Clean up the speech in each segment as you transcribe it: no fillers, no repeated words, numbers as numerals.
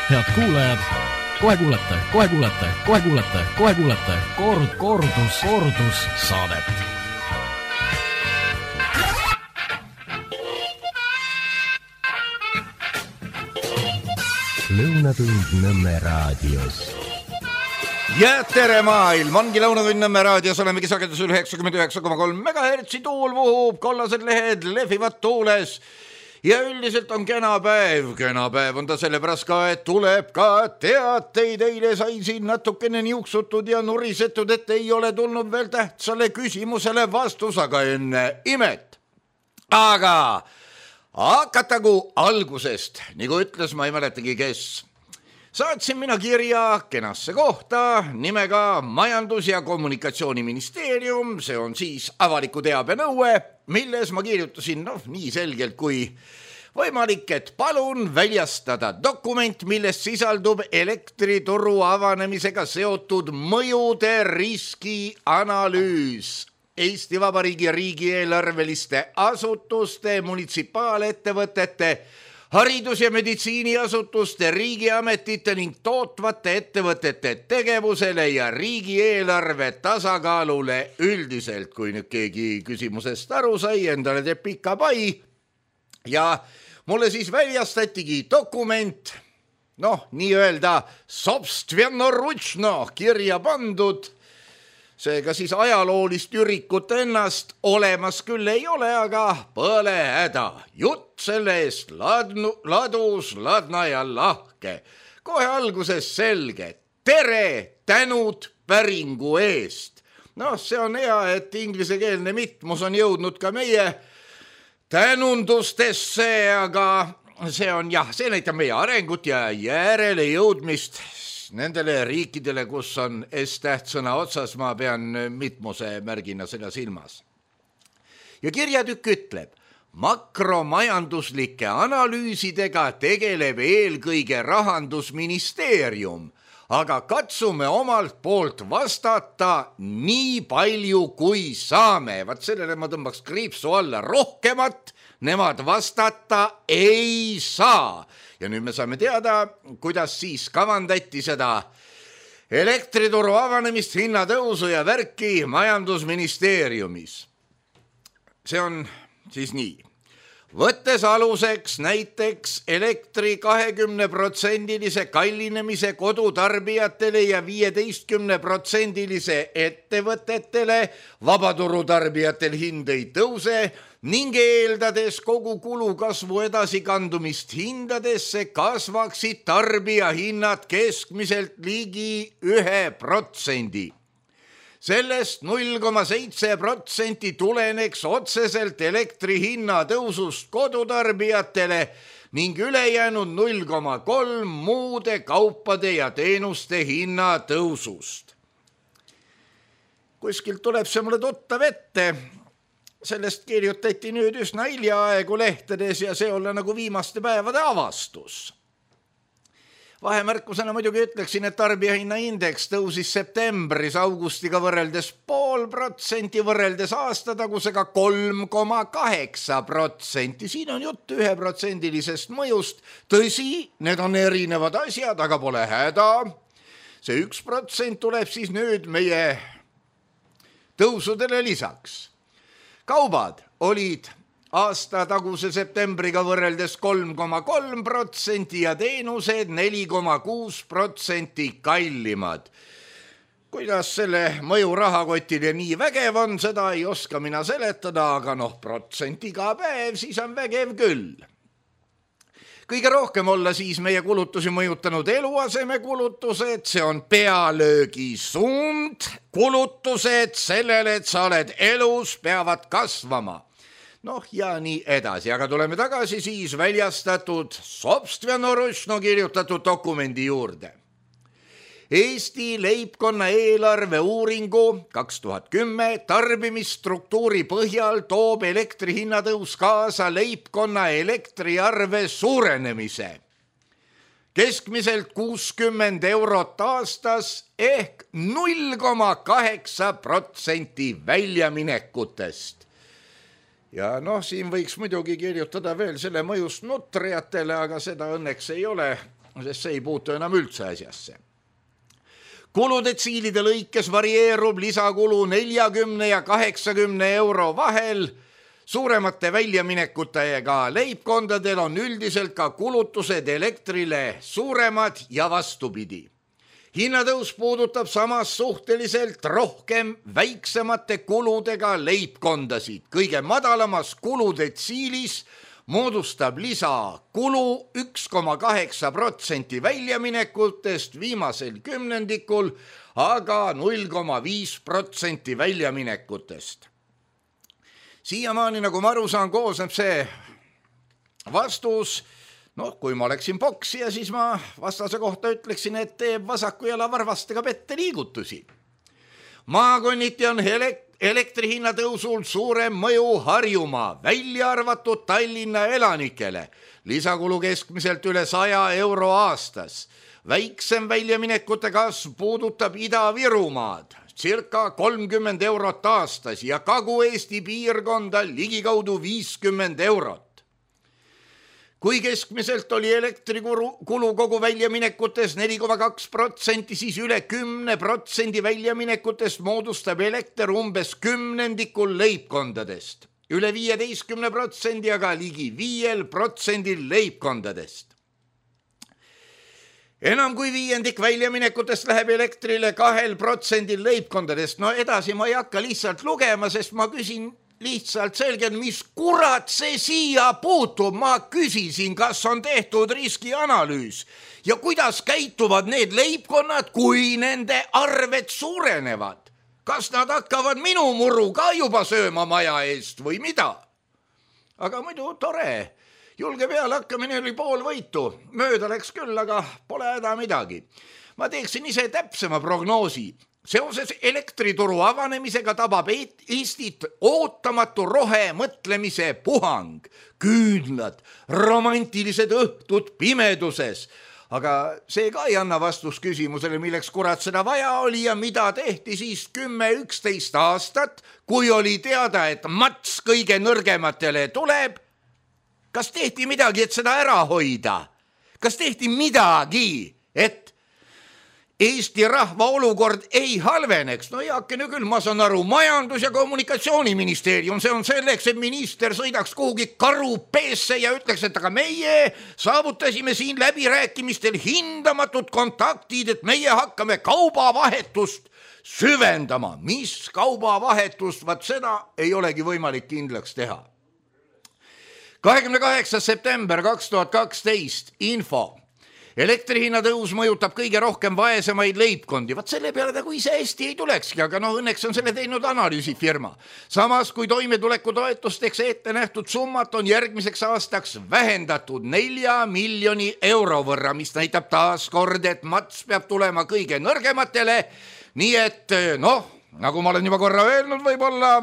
Head kuulajad, kohe kuulete kordus saadet. Lõunatund Nõmme raadios. Ja tere maailm, ongi Lõunatund Nõmme raadios, olemegi sagedusel 99,3 MHz, tuul vuhub, kollased lehed lehvivad tuules ja üldiselt on kena päev on ta sellepärast ka, et tuleb ka teateid. Eile sai siin natukene niuksutud ja nurisetud, et ei ole tulnud veel tähtsale küsimusele vastus, aga enne imet. Aga hakatagu algusest, nagu ütles, ma ei mäletagi kes. Saatsin mina kirja kenasse kohta nimega Majandus- ja Kommunikatsiooniministeerium, see on siis avaliku teabe nõue, milles ma kirjutasin nii selgelt kui võimalik, et palun väljastada dokument, milles sisaldub elektrituru avanemisega seotud mõjude riskianalüüs Eesti Vabariigi riigieelarveliste asutuste, munitsipaalettevõtete, haridus- ja meditsiiniasutuste, riigiametite ning tootvate ettevõtete tegevusele ja riigieelarve tasakaalule üldiselt. Kui nüüd keegi küsimusest aru sai, endale teeb pika pai ja mulle siis väljastatigi dokument, nii öelda sobstvennoručno kirja pandud. Seega siis ajaloolist ürikut ennast olemas küll ei ole, aga pole häda. Jutt selle eest ladus, ladna ja lahke. Kohe alguses selge. Tere, tänud päringu eest. See on hea, et inglisekeelne mitmus on jõudnud ka meie tänundustesse, aga see näitab meie arengut ja järele jõudmist nendele riikidele, kus on S-tähtsõna otsas, ma pean mitmuse märgina seda silmas. Ja kirjatükk ütleb, makromajanduslike analüüsidega tegeleb eelkõige Rahandusministeerium, aga katsume omalt poolt vastata nii palju kui saame. Vaat sellele ma tõmbaks kriipsu alla, rohkemat nemad vastata ei saa. Ja nüüd me saame teada, kuidas siis kavandati seda elektrituru avanemist, hinnatõusu ja värki Majandusministeeriumis. See on siis nii. Võttes aluseks näiteks elektri 20% kallinemise kodutarbijatele ja 15% ettevõtetele, vabaturutarbijatel hind ei tõuse ning eeldades kogu kulu kasvu edasikandumist hindadesse kasvaksid tarbijahinnad keskmiselt ligi 1%. Sellest 0,7% tuleneks otseselt elektri hinna tõusust kodutarbijatele ning ülejäänud 0,3% muude kaupade ja teenuste hinna tõusust. Kuskilt tuleb see mulle tuttav ette. Sellest kirjutati nüüd üsna hiljaaegu lehtedes ja see olla nagu viimaste päevade avastus. Vahemärkusena muidugi ütleksin, et tarbijahinna indeks tõusis septembris augustiga võrreldes 0,5%, võrreldes aastatagusega 3,8%. Siin on jutt 1% mõjust. Tõsi, need on erinevad asjad, aga pole häda. See 1% tuleb siis nüüd meie tõusudele lisaks. Kaubad olid aasta taguse septembriga võrreldes 3,3% ja teenused 4,6% kallimad. Kuidas selle mõju rahakotile nii vägev on, seda ei oska mina seletada, aga protsent iga päev, siis on vägev küll. Kõige rohkem olla siis meie kulutusi mõjutanud eluasemekulutused, see on pealöögi suund. Kulutused sellele, et sa oled elus, peavad kasvama. Ja nii edasi, aga tuleme tagasi siis väljastatud sobstvennoručno kirjutatud dokumendi juurde. Eesti leibkonna eelarve uuringu 2010 tarbimisstruktuuri põhjal toob elektrihinnatõus kaasa leibkonna elektriarve suurenemise. Keskmiselt 60 eurot aastas ehk 0,8% väljaminekutest. ja noh, siin võiks muidugi kirjutada veel selle mõjust nutrijatele, aga seda õnneks ei ole, sest see ei puutu enam üldse asjasse. Kuludetsiilide lõikes varieerub lisakulu 40 ja 80 euro vahel. Suuremate väljaminekutega leibkondadel on üldiselt ka kulutused elektrile suuremad ja vastupidi. Hinnatõus puudutab samas suhteliselt rohkem väiksemate kuludega leibkondasid. Kõige madalamas kuludetsiilis moodustab lisakulu 1,8% väljaminekutest viimasel kümnendikul, aga 0,5% väljaminekutest. Siiamaani, nagu ma aru saan, koosneb see vastus, kui ma oleksin poksija, siis ma vastase kohta ütleksin, et teeb vasaku jala varvastega pette liigutusi. Maakonniti on elektrihinna tõusul suurem mõju Harjumaa, välja arvatud Tallinna elanikele. Lisakulu keskmiselt üle 100 euro aastas. Väiksem väljaminekute kasv puudutab Ida-Virumaad, circa 30 eurot aastas ja Kagu-Eesti piirkonda ligikaudu 50 eurot. Kui keskmiselt oli elektrikulu kogu väljaminekutes 4,2%, siis üle 10% väljaminekutest moodustab elekter umbes kümnendikul leibkondadest. Üle 15%, aga ligi 5% leibkondadest. Enam kui viiendik väljaminekutest läheb elektrile 2% leibkondadest. Edasi ma ei hakka lihtsalt lugema, sest ma küsin lihtsalt selgelt, mis kurat see siia puutub. Ma küsisin, kas on tehtud riskianalüüs ja kuidas käituvad need leibkonnad, kui nende arved suurenevad. Kas nad hakkavad minu muru ka juba sööma maja eest või mida? Aga muidu tore. Julge peale hakkamine oli pool võitu. Mööda läks küll, aga pole häda midagi. Ma teeksin ise täpsema prognoosi. Seoses elektrituru avanemisega tabab Eestit ootamatu rohemõtlemise puhang, küünlad, romantilised õhtud pimeduses. Aga see ka ei anna vastust küsimusele, milleks kurat seda vaja oli ja mida tehti siis 10-11 aastat, kui oli teada, et mats kõige nõrgematele tuleb. Kas tehti midagi, et seda ära hoida? Kas tehti midagi, et Eesti rahva olukord ei halveneks? Heakene küll, ma saan aru, majandus- ja kommunikatsiooniministeerium, see on selleks, et minister sõidaks kuhugi karupeesse ja ütleks, et aga meie saavutasime siin läbirääkimistel hindamatud kontaktid, et meie hakkame kaubavahetust süvendama. Mis kaubavahetust? Vaat seda ei olegi võimalik kindlaks teha. 28. september 2012 info. Elektrihinna tõus mõjutab kõige rohkem vaesemaid leibkondi. Vaat selle peale kui ise hästi ei tulekski, aga õnneks on selle teinud analüüsifirma. Samas, kui toimetuleku toetusteks ette nähtud summat on järgmiseks aastaks vähendatud 4 miljoni euro võrra, mis näitab taas kord, et mats peab tulema kõige nõrgematele. Nii et nagu ma olen juba korra öelnud, võib-olla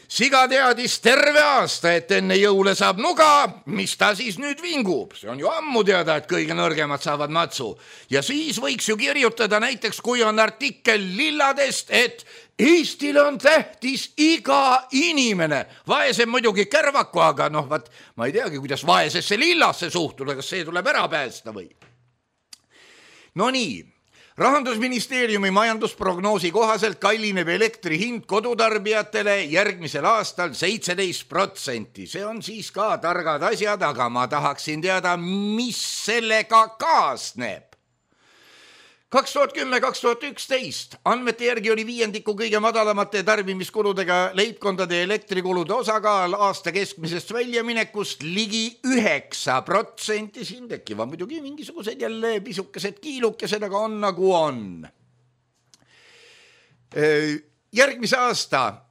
siga teadis terve aasta, et enne jõule saab nuga, mis ta siis nüüd vingub. See on ju ammu teada, et kõige nõrgemad saavad matsu. Ja siis võiks ju kirjutada näiteks, kui on artikkel lilladest, et Eestile on tähtis iga inimene. Vaesem muidugi kärvaku, aga ma ei teagi, kuidas vaesesse lillasse suhtuda, kas see tuleb ära päästa või? Nii. Rahandusministeeriumi majandusprognoosi kohaselt kallineb elektri hind kodutarbijatele järgmisel aastal 17%. See on siis ka targad asjad, aga ma tahaksin teada, mis sellega kaasneb. 2010-2011 andmete järgi oli viiendiku kõige madalamate tarbimiskuludega leibkondade elektrikulude osakaal aasta keskmisest väljaminekust ligi 9%. Siin tekivad muidugi mingisugused jälle pisukesed kiilukesed, aga on nagu on. Järgmise aasta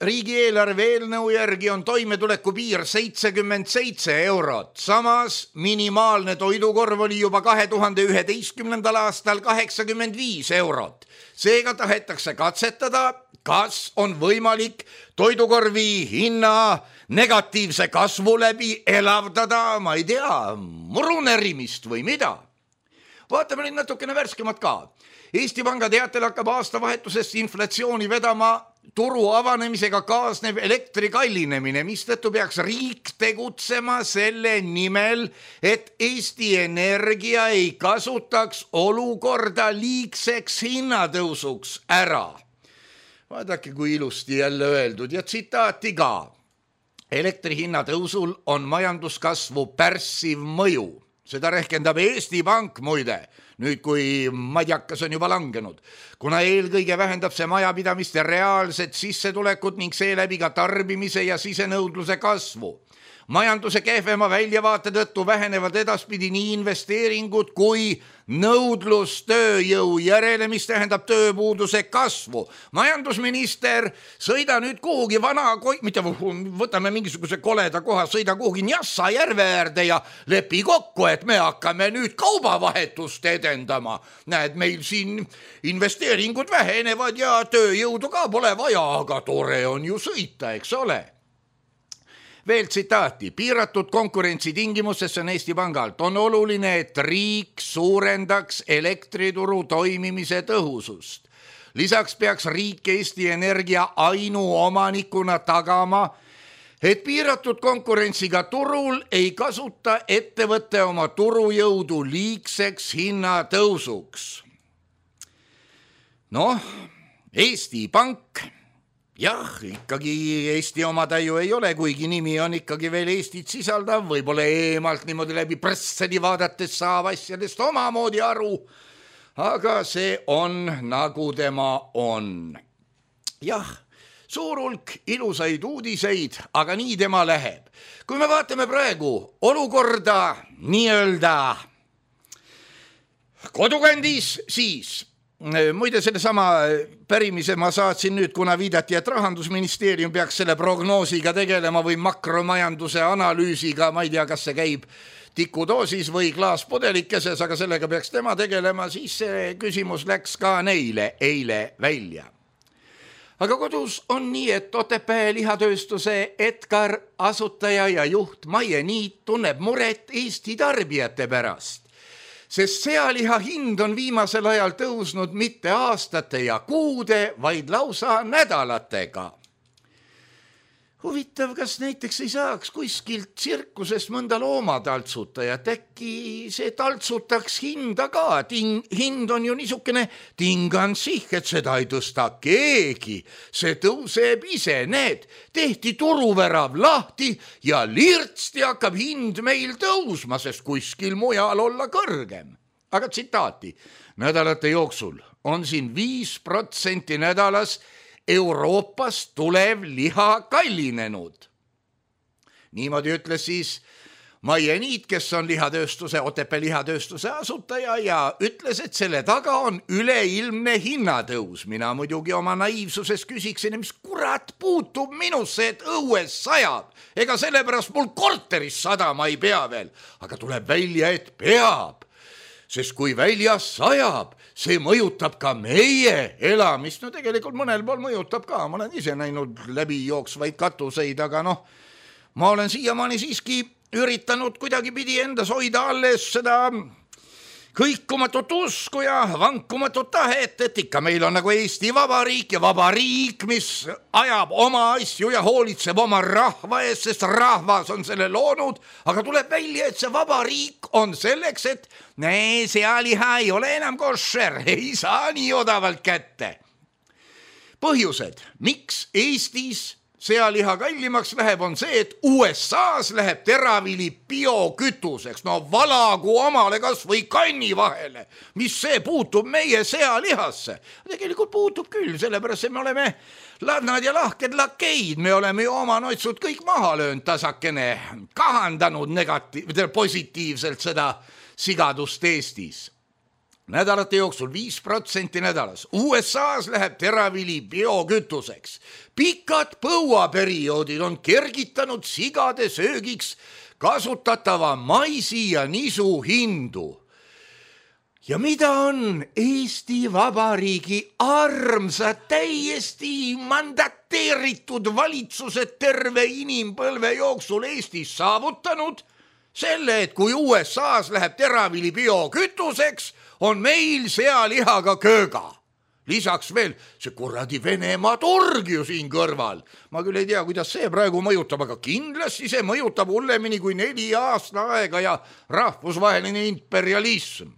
riigieelarve eelnõu järgi on toimetuleku piir 77 eurot. Samas minimaalne toidukorv oli juba 2011. aastal 85 eurot. Seega tahetakse katsetada, kas on võimalik toidukorvi hinna negatiivse kasvu läbi elavdada, ma ei tea, murunerimist või mida. Vaatame nüüd natukene värskemat ka. Eesti Panga teatel hakkab aastavahetusest inflatsiooni vedama turu avanemisega kaasneb elektri kallinemine, mistõttu peaks riik tegutsema selle nimel, et Eesti Energia ei kasutaks olukorda liigseks hinnatõusuks ära. Vaadake, kui ilusti jälle öeldud ja tsitaati ka. Elektri hinnatõusul on majanduskasvu pärssiv mõju. Seda rehkendab Eesti Pank muide, nüüd kui madjakas on juba langenud, kuna eelkõige vähendab see majapidamiste reaalset sissetulekut ning seeläbi ka tarbimise ja sisenõudluse kasvu. Majanduse kehvema väljavaate tõttu vähenevad edaspidi nii investeeringud kui nõudlus tööjõu järele, mis tähendab tööpuuduse kasvu. Majandusminister, sõida nüüd kuhugi mitte võtame mingisuguse koleda koha, sõida kuhugi Njassa järve äärde ja lepi kokku, et me hakkame nüüd kaubavahetust edendama. Näed, meil siin investeeringud vähenevad ja tööjõudu ka pole vaja, aga tore on ju sõita, eks ole. Veel tsitaati, piiratud konkurentsi tingimustes on Eesti Pangalt. On oluline, et riik suurendaks elektrituru toimimise tõhusust. Lisaks peaks riik Eesti Energia ainuomanikuna tagama, et piiratud konkurentsiga turul ei kasuta ettevõtte oma turujõudu liigseks hinnatõusuks. Eesti Pank. Jah, ikkagi Eesti oma täiu ei ole, kuigi nimi on ikkagi veel Eestit sisaldav, võib-olla eemalt niimoodi läbi pressedi vaadates saab asjadest omamoodi aru, aga see on nagu tema on. Jah, suur hulk ilusaid uudiseid, aga nii tema läheb. Kui me vaatame praegu olukorda nii-öelda kodukandis, siis muide, selle sama pärimise ma saatsin nüüd, kuna viidati, et Rahandusministeerium peaks selle prognoosiga tegelema või makromajanduse analüüsiga, ma ei tea, kas see käib tikudoosis või klaaspodelikeses, aga sellega peaks tema tegelema, siis see küsimus läks ka neile eile välja. Aga kodus on nii, et Otepää lihatööstuse Edgar asutaja ja juht Maie Niit tunneb muret Eesti tarbijate pärast. Sest sealiha hind on viimasel ajal tõusnud mitte aastate ja kuude, vaid lausa nädalatega. Huvitav, kas näiteks ei saaks kuskilt tsirkusest mõnda loomataltsutajat, äkki see taltsutaks hinda ka, hind on ju niisugune tingansih, et seda ei tõsta keegi, see tõuseb ise, need, tehti turuvärav lahti ja lirtsti hakkab hind meil tõusma, sest kuskil mujal olla kõrgem. Aga tsitaati, nädalate jooksul on siin 5% nädalas Euroopast tulev liha kallinenud. Niimoodi ütles siis Maie Niit, kes on Otepää lihatööstuse asutaja ja ütles, et selle taga on üleilmne hinnatõus. Mina muidugi oma naiivsuses küsiksin, mis kurat puutub minusse, et õues sajab. Ega sellepärast mul korteris sadama ei pea veel, aga tuleb välja, et peab. Sest kui väljas sajab, see mõjutab ka meie elamist. No tegelikult mõnel pool mõjutab ka. Ma olen ise näinud läbi jooksvaid katuseid, aga ma olen siiamaani siiski üritanud kuidagi pidi endas hoida alles seda kõikumatut usku ja vankumatut tahet, et ikka meil on nagu Eesti Vabariik ja vabariik, mis ajab oma asju ja hoolitseb oma rahva eest, sest rahvas on selle loonud, aga tuleb välja, et see vabariik on selleks, et sealiha ei ole enam koššer, ei saa nii odavalt kätte. Põhjused, miks Eestis sealiha kallimaks läheb, on see, et USA-s läheb teravili biokütuseks. Valagu omale kas või kanni vahele. Mis see puutub meie sealihasse? Tegelikult puutub küll, sellepärast me oleme ladnad ja lahked lakeid. Me oleme ju oma noitsud kõik maha löönud tasakene, kahandanud positiivselt seda sigadust Eestis. Nädalate jooksul 5% nädalas. USA-s läheb teravili biokütuseks. Pikad põuaperioodid on kergitanud sigade söögiks kasutatava maisi ja nisu hindu. Ja mida on Eesti Vabariigi armsad, täiesti mandateeritud valitsused terve inimpõlve jooksul Eestis saavutanud? Selle, et kui USA-s läheb teravili biokütuseks, on meil sealihaga kööga. lisaks veel see kuradi Venemaa turg ju siin kõrval. Ma küll ei tea, kuidas see praegu mõjutab, aga kindlasti see mõjutab hullemini kui 4 aasta aega ja rahvusvaheline imperialism.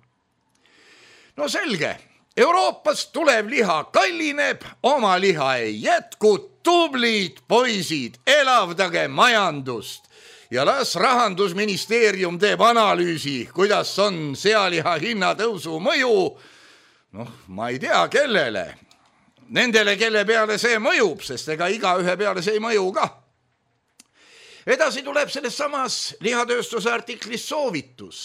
No selge, Euroopast tulev liha kallineb, oma liha ei jätku, tublid poisid, elavdage majandust. Ja las Rahandusministeerium teeb analüüsi, kuidas on sealiha hinnatõusu mõju. Noh, ma ei tea, kellele. Nendele, kelle peale see mõjub, sest ega igaühe peale see ei mõju ka. Edasi tuleb selles samas lihatööstuse artiklis soovitus.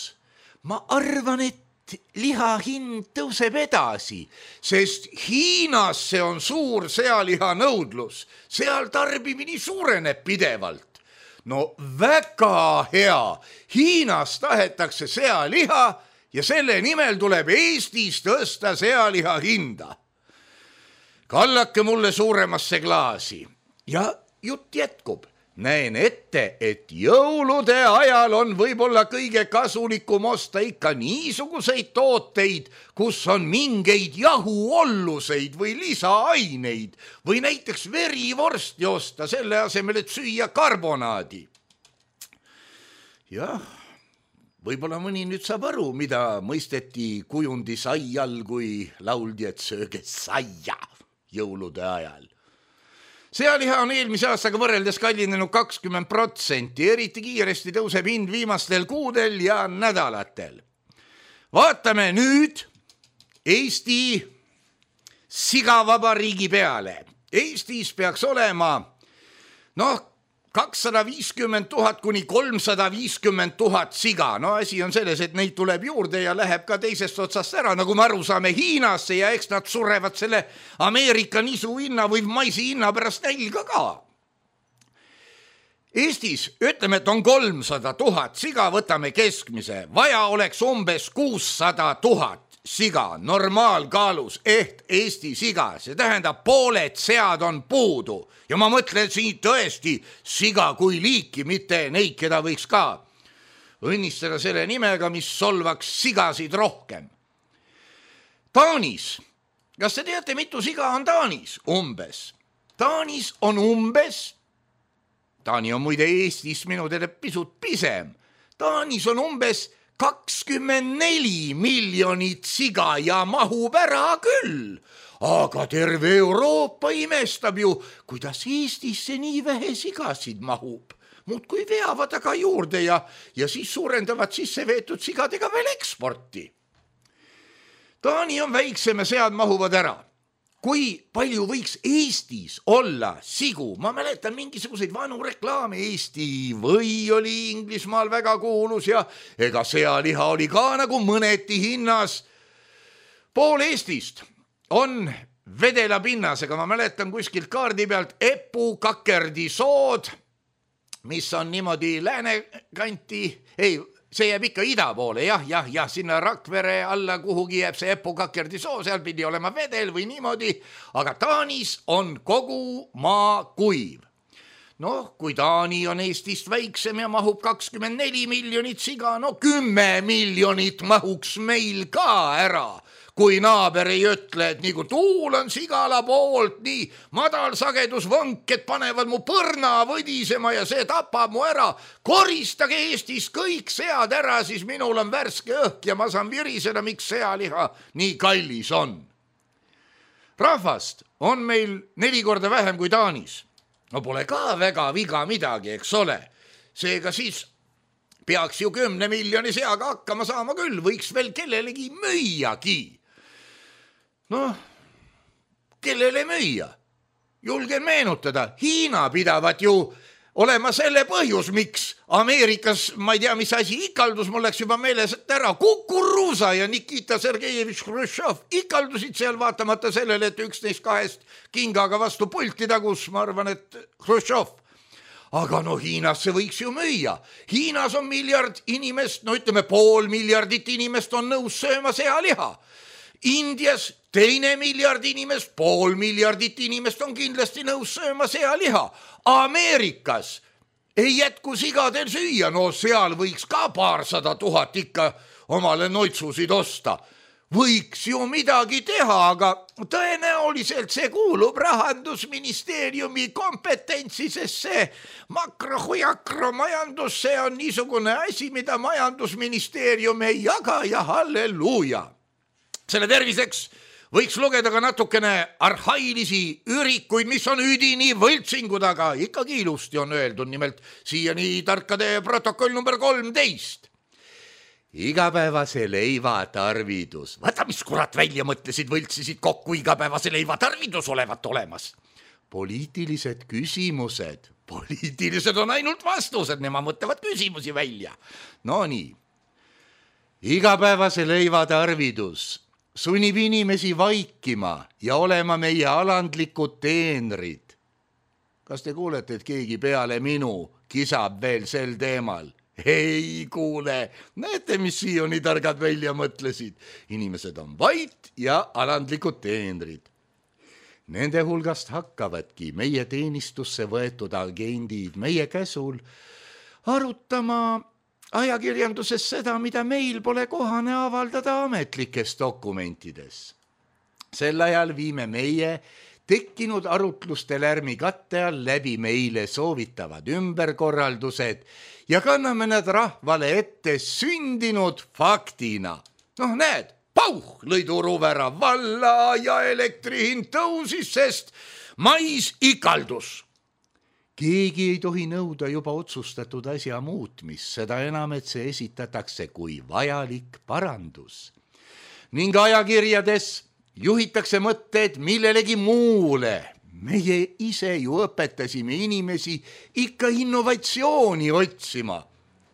Ma arvan, et liha hind tõuseb edasi, sest Hiinas see on suur sealiha nõudlus. Seal tarbimine suureneb pidevalt. No väga hea, Hiinas tahetakse sealiha ja selle nimel tuleb Eestis tõsta sealiha hinda. Kallake mulle suuremasse klaasi ja jutt jätkub. Näen ette, et jõulude ajal on võib-olla kõige kasulikum osta ikka niisuguseid tooteid, kus on mingeid jahuolluseid või lisaaineid või näiteks verivorsti osta selle asemel, et süüa karbonaadi. Jah, võib-olla mõni nüüd saab aru, mida mõisteti kujundi sai all, kui lauldi, et sööge saia jõulude ajal. Sealiha on eelmise aastaga võrreldes kallinenud 20%, eriti kiiresti tõuseb hind viimastel kuudel ja nädalatel. Vaatame nüüd Eesti sigavabariigi peale. Eestis peaks olema 250 000 kuni 350 000 siga. No asi on selles, et neid tuleb juurde ja läheb ka teisest otsast ära, nagu me aru saame Hiinasse ja eks nad surevad selle Ameerika nisu hinna või maisi hinna pärast nälga ka. Eestis ütleme, et on 300 000 siga, võtame keskmise. Vaja oleks umbes 600 000 siga normaalkaalus ehk Eesti siga. See tähendab, pooled sead on puudu. Ja ma mõtlen siin tõesti siga kui liiki, mitte neid, keda võiks ka õnnistada selle nimega, mis solvaks sigasid rohkem. Taanis. Kas te teate, mitu siga on Taanis? Umbes. Taanis on umbes, Taani on muide Eestis minu teada pisut pisem, Taanis on umbes 24 miljonit siga ja mahub ära küll. Aga terve Euroopa imestab ju, kuidas Eestisse nii vähe sigasid mahub. Muudkui veavad aga juurde ja siis suurendavad sisse veetud sigadega veel eksporti. Taani on väiksem ja sead mahuvad ära. Kui palju võiks Eestis olla sigu? Ma mäletan mingisuguseid vanu reklaame. Eesti või oli Inglismaal väga kuulus ja ega sealiha oli ka nagu mõneti hinnas. Pool Eestist on vedela pinnasega, ma mäletan kuskilt kaardi pealt Epu Kakerdisood, mis on niimoodi läänekanti, see jääb ikka ida poole, jah, sinna Rakvere alla kuhugi jääb see Epu Kakerdisoo, seal pidi olema vedel või niimoodi, aga Taanis on kogu maa kuiv. Kui Taani on Eestist väiksem ja mahub 24 miljonit siga, 10 miljonit mahuks meil ka ära. Kui naaber ei ütle, et nii kui tuul on sigala poolt, nii madalsagedusvõnked panevad mu põrna võdisema ja see tapab mu ära. Koristage Eestis kõik sead ära, siis minul on värske õhk ja ma saan viriseda, miks sealiha nii kallis on. Rahvast on meil 4 korda vähem kui Taanis. No pole ka väga viga midagi, eks ole. Seega siis peaks ju 10 miljoni seaga hakkama saama küll, võiks veel kellelegi müüagi. Kellele müüa? Julgen meenutada, Hiina pidavat ju olema selle põhjus, miks Ameerikas, ma ei tea, mis asi, ikaldus, mul läks juba meeles ära, Kukuruusa ja Nikita Sergejevich Hruštšov ikaldusid seal vaatamata sellele, et 11-2 kingaga vastu pulti tagus, ma arvan, et Hruštšov. Aga Hiinasse võiks ju müüa. Hiinas on 1 miljard inimest, ütleme 500 miljardit inimest on nõus sööma sealiha. Indias 2 miljard inimest, 500 miljardit inimest on kindlasti nõus sööma sealiha. Ameerikas ei jätku sigadel süüa, seal võiks ka 200 000 ikka omale noitsusid osta. võiks ju midagi teha, aga tõenäoliselt see kuulub Rahandusministeeriumi kompetentsi, sest see makrohujakromajandus, see on niisugune asi, mida Majandusministeerium ei jaga ja halleluuja. Selle terviseks võiks lugeda ka natukene arhailisi ürikuid, mis on üdini võltsingud, aga ikkagi ilusti on öeldud, nimelt siiani tarkade protokoll number 13. Igapäevase leiva tarvidus. Vaata, mis kurat välja mõtlesid, võltsisid kokku igapäevase leiva tarvidus olevat olemas. Poliitilised küsimused. Poliitilised on ainult vastused, nemad mõtlevad küsimusi välja. No nii. Igapäevase leiva tarvidus sunnib inimesi vaikima ja olema meie alandlikud teenrid. Kas te kuulete, et keegi peale minu kisab veel sel teemal? Ei kuule, näete, mis siiani targad välja mõtlesid. Inimesed on vait ja alandlikud teenrid. Nende hulgast hakkavadki meie teenistusse võetud agendid meie käsul arutama ajakirjanduses seda, mida meil pole kohane avaldada ametlikes dokumentides. Sel ajal viime meie tekkinud arutluste lärmi katte all läbi meile soovitavad ümberkorraldused ja kanname nad rahvale ette sündinud faktina. Noh, näed, pauh, lõi turuvära valla ja elektrihind tõusis, sest mais ikaldus. Keegi ei tohi nõuda juba otsustatud asja muutmist, seda enam, et see esitatakse kui vajalik parandus. Ning ajakirjades juhitakse mõtted millelegi muule. Meie ise ju õpetasime inimesi ikka innovatsiooni otsima,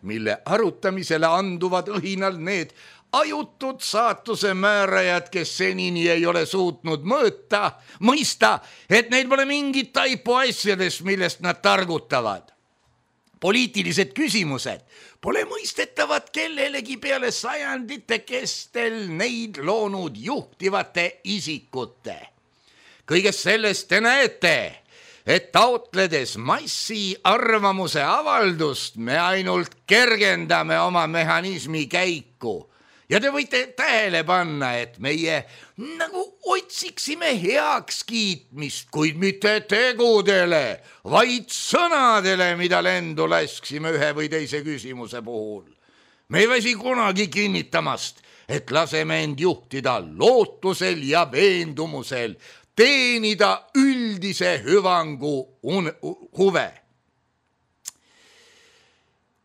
mille arutamisele anduvad õhinal need ajutud saatuse määrajad, kes senini ei ole suutnud mõista, et neil pole mingit taipu asjadest, millest nad targutavad. Poliitilised küsimused pole mõistetavad kellelegi peale sajandite kestel neid loonud juhtivate isikute. Kõigest sellest te näete, et taotledes massi arvamuse avaldust me ainult kergendame oma mehhanismi käiku. Ja te võite tähele panna, et meie nagu otsiksime heakskiitmist, kuid mitte tegudele, vaid sõnadele, mida lendu lasksime ühe või teise küsimuse puhul. Me ei väsi kunagi kinnitamast, et laseme end juhtida lootusel ja veendumusel, teenida üldise hüvangu huve.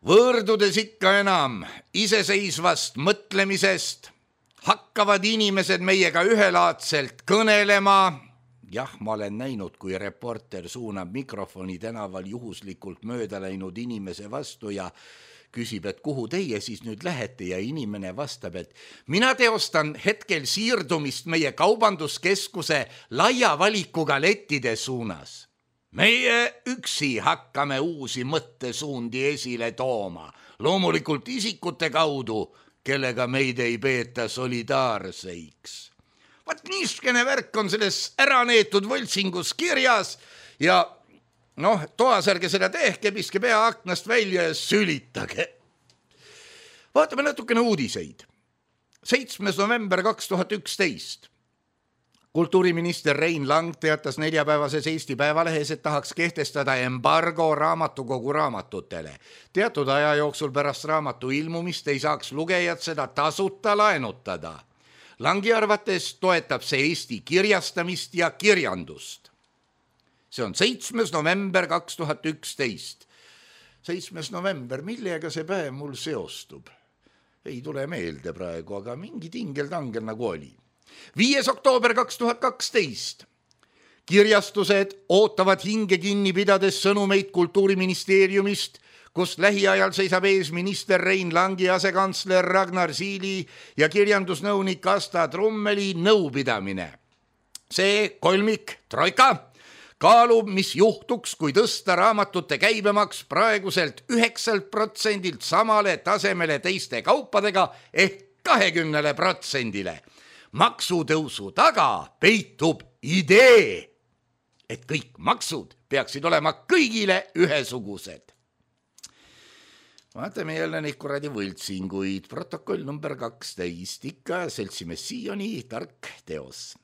Võõrdudes ikka enam iseseisvast mõtlemisest, hakkavad inimesed meiega ühelaadselt kõnelema. Jah, ma olen näinud, kui reporter suunab mikrofoni tänaval juhuslikult mööda läinud inimese vastu ja küsib, et kuhu teie siis nüüd lähete, ja inimene vastab, et mina teostan hetkel siirdumist meie kaubanduskeskuse laia valikuga lettide suunas. Meie üksi hakkame uusi mõttesuundi esile tooma, loomulikult isikute kaudu, kellega meid ei peeta solidaarseiks. Vaat niiskene värk on selles äraneetud võltsingus kirjas ja toas ärge seda tehke, piske pea aknast välja ja sülitage. Vaatame natukene uudiseid. 7. november 2011. Kultuuriminister Rein Lang teatas neljapäevases Eesti Päevalehes, et tahaks kehtestada embargo raamatukogu raamatutele. Teatud aja jooksul pärast raamatu ilmumist ei saaks lugejad seda tasuta laenutada. Langi arvates toetab see Eesti kirjastamist ja kirjandust. See on 7. november 2011. 7. november, millega see päev mul seostub? Ei tule meelde praegu, aga mingi tingel-tangel nagu oli. 5. oktoober 2012. Kirjastused ootavad hinge kinni pidades sõnumeid Kultuuriministeeriumist, kus lähiajal seisab ees minister Rein Langi asekantsler Ragnar Siili ja kirjandusnõunik Asta Trummeli nõupidamine. See kolmik, troika, kaalub, mis juhtuks, kui tõsta raamatute käibemaks praeguselt 9% samale tasemele teiste kaupadega ehk 20%. Maksutõusu taga peitub idee, et kõik maksud peaksid olema kõigile ühesugused. vaatame jälle neid kuradi võltsinguid. Protokoll number 12, ikka seltsimees Sioni tark teos.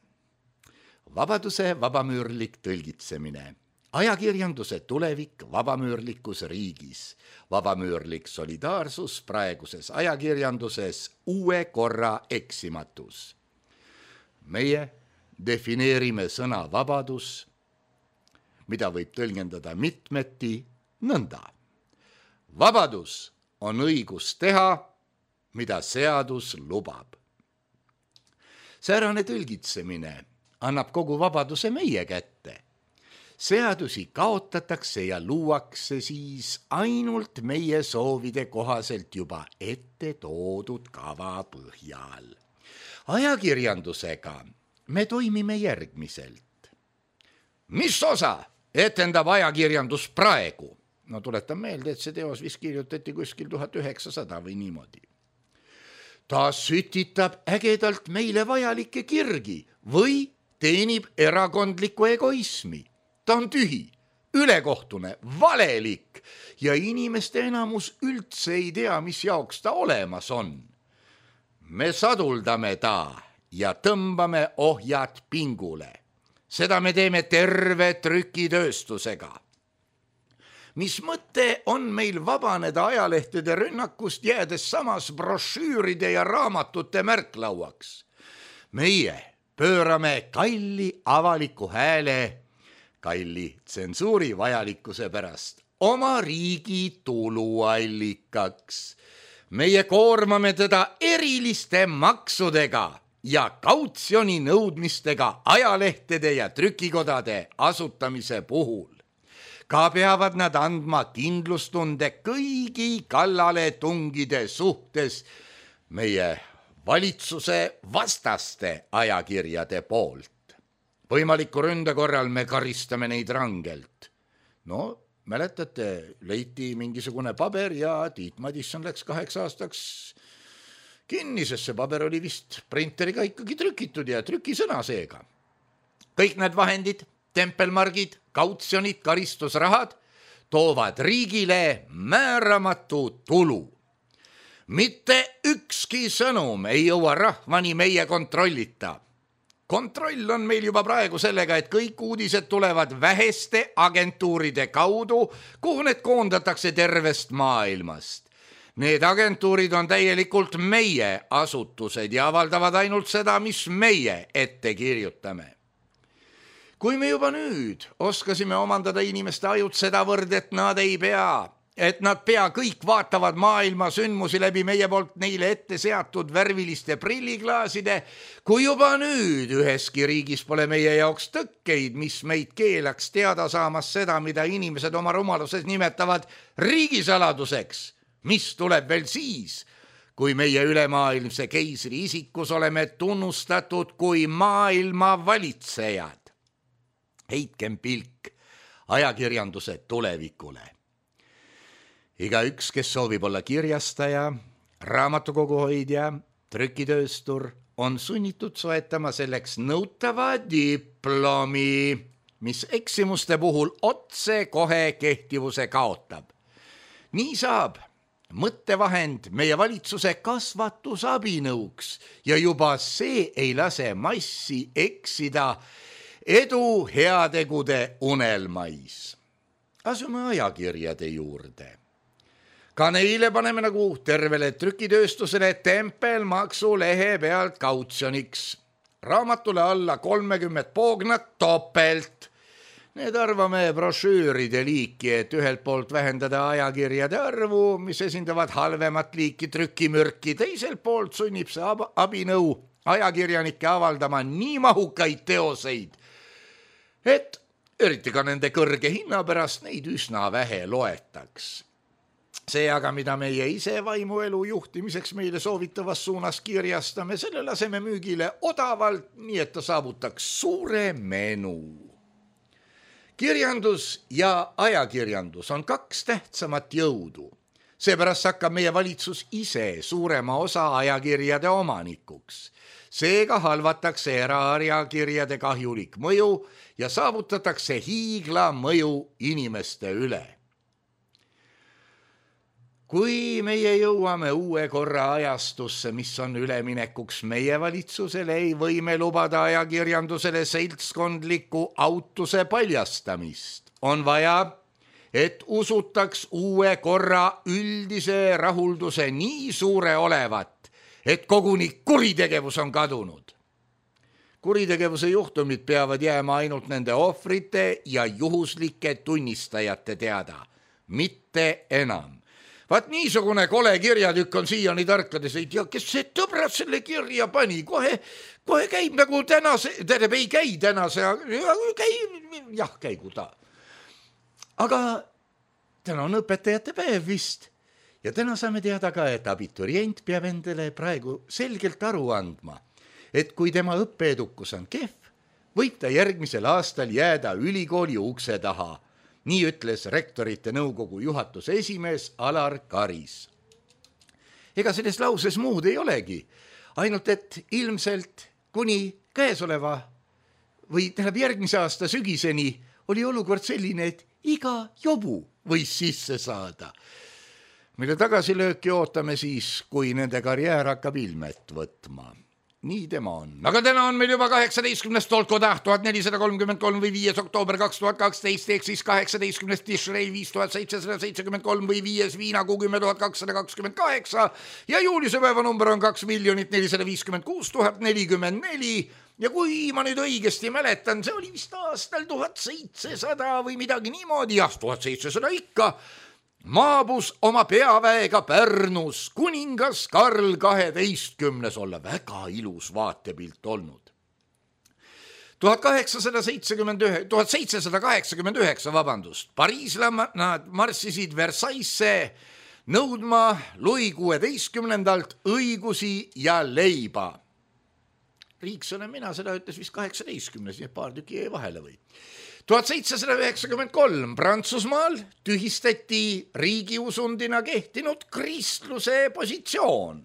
Vabaduse vabamüürlik tõlgitsemine. Ajakirjanduse tulevik vabamüürlikus riigis. Vabamüürlik solidaarsus praeguses ajakirjanduses uue korra eksimatus. Meie defineerime sõna vabadus, mida võib tõlgendada mitmeti nõnda. Vabadus on õigus teha, mida seadus lubab. Säärane tõlgitsemine annab kogu vabaduse meie kätte. Seadusi kaotatakse ja luuakse siis ainult meie soovide kohaselt juba ette toodud kava põhjal. Ajakirjandusega me toimime järgmiselt. Mis osa etendab ajakirjandus praegu? No tuletan meelde, et see teos vist kirjutati kuskil 1900 või niimoodi. Ta sütitab ägedalt meile vajalikke kirgi või teenib erakondlikku egoismi. Ta on tühi, ülekohtune, valelik ja inimeste enamus üldse ei tea, mis jaoks ta olemas on. Me saduldame ta ja tõmbame ohjad pingule. Seda me teeme terve trükitööstusega. Mis mõte on meil vabaneda ajalehtede rünnakust, jäädes samas brošüüride ja raamatute märklauaks? Meie pöörame kalli avaliku hääle, kalli tsensuuri vajalikkuse pärast oma riigi tuluallikaks. Meie koormame teda eriliste maksudega ja kautsjoni nõudmistega ajalehtede ja trükikodade asutamise puhul. Ka peavad nad andma kindlustunde kõigi kallale tungide suhtes meie valitsuse vastaste ajakirjade poolt. Võimaliku ründe korral me karistame neid rangelt. No, mäletate, leiti mingisugune paber ja Tiit Madisson läks 8 aastaks kinni, sest see paber oli vist printeriga ikkagi trükitud ja trükisõna seega. Kõik need vahendid, tempelmargid, kautsjonid, karistusrahad toovad riigile määramatu tulu. Mitte ükski sõnum ei jõua rahvani meie kontrollita. Kontroll on meil juba praegu sellega, et kõik uudised tulevad väheste agentuuride kaudu, kuhu need koondatakse tervest maailmast. Need agentuurid on täielikult meie asutused ja avaldavad ainult seda, mis meie ette kirjutame. Kui me juba nüüd oskasime omandada inimeste ajud sedavõrd, et nad pea kõik vaatavad maailma sündmusi läbi meie poolt neile ette seatud värviliste prilliklaaside, kui juba nüüd üheski riigis pole meie jaoks tõkkeid, mis meid keelaks teada saamas seda, mida inimesed oma rumaluses nimetavad riigisaladuseks, mis tuleb veel siis, kui meie ülemaailmse keisri isikus oleme tunnustatud kui maailma valitsejad. Heitkem pilk ajakirjanduse tulevikule. Igaüks, kes soovib olla kirjastaja, raamatukoguhoidja, trükitööstur, on sunnitud soetama selleks nõutava diplomi, mis eksimuste puhul otse kohe kehtivuse kaotab. Nii saab mõttevahend meie valitsuse kasvatusabinõuks ja juba see ei lase massi eksida edu heategude unelmais. Asume ajakirjade juurde. Ka neile paneme nagu tervele trükitööstusele tempelmaksu lehe pealt kautsjoniks. Raamatule alla 30 poognat topelt. Need arvame brošüüride liiki, et ühelt poolt vähendada ajakirjade arvu, mis esindavad halvemat liiki trükimürki. Teiselt poolt sunnib see abinõu ajakirjanike avaldama nii mahukaid teoseid, et eriti ka nende kõrge hinna pärast neid üsna vähe loetaks. See aga, mida meie ise vaimuelu juhtimiseks meile soovitavas suunas kirjastame, selle laseme müügile odavalt, nii et ta saavutaks suure menu. Kirjandus ja ajakirjandus on 2 tähtsamat jõudu. Seepärast hakkab meie valitsus ise suurema osa ajakirjade omanikuks. Seega halvatakse eraajakirjade kahjulik mõju ja saavutatakse hiigla mõju inimeste üle. kui meie jõuame uue korra ajastusse, mis on üleminekuks meie valitsusele, ei või me lubada ajakirjandusele seltskondliku autuse paljastamist. On vaja, et usutaks uue korra üldise rahulduse nii suure olevat, et koguni kuritegevus on kadunud. Kuritegevuse juhtumid peavad jääma ainult nende ohvrite ja juhuslike tunnistajate teada, mitte enam. Vaat niisugune kole kirjatükk on siiani tarkades, ei tea, kes see tõbrad selle kirja pani, kohe käib nagu ei käi tänase, käigu ta. Aga täna on õpetajate päev vist ja täna saame teada ka, et abiturient peab endale praegu selgelt aru andma, et kui tema õppeedukus on kehv, võib ta järgmisel aastal jääda ülikooli ukse taha. Nii ütles rektorite nõukogu juhatuse esimees Alar Karis. Ega selles lauses muud ei olegi, ainult et ilmselt kuni käesoleva või järgmise aasta sügiseni oli olukord selline, et iga jobu võis sisse saada, mille tagasilööki ootame siis, kui nende karjäär hakkab ilmet võtma. Nii tema on. Aga täna on meil juba 18. Tolkotäht 1433 või 5. oktoober 2012 ehk siis 18. Tishrei 5773 või 5. Viinakuu 10228 ja juulise päeva number on 2 456 044 ja kui ma nüüd õigesti mäletan, see oli vist aastal 1700 või midagi niimoodi, 1700 ikka, maabus oma peaväega Pärnus kuningas Karl 12. olla väga ilus vaatepilt olnud. 1789, pariislased marssisid Versaillesse nõudma Louis XVI õigusi ja leiba. Riik sõna mina, seda ütles vist 18, nii paar tüki jäi vahele või. 1793 Prantsusmaal tühistati riigiusundina kehtinud kristluse positsioon.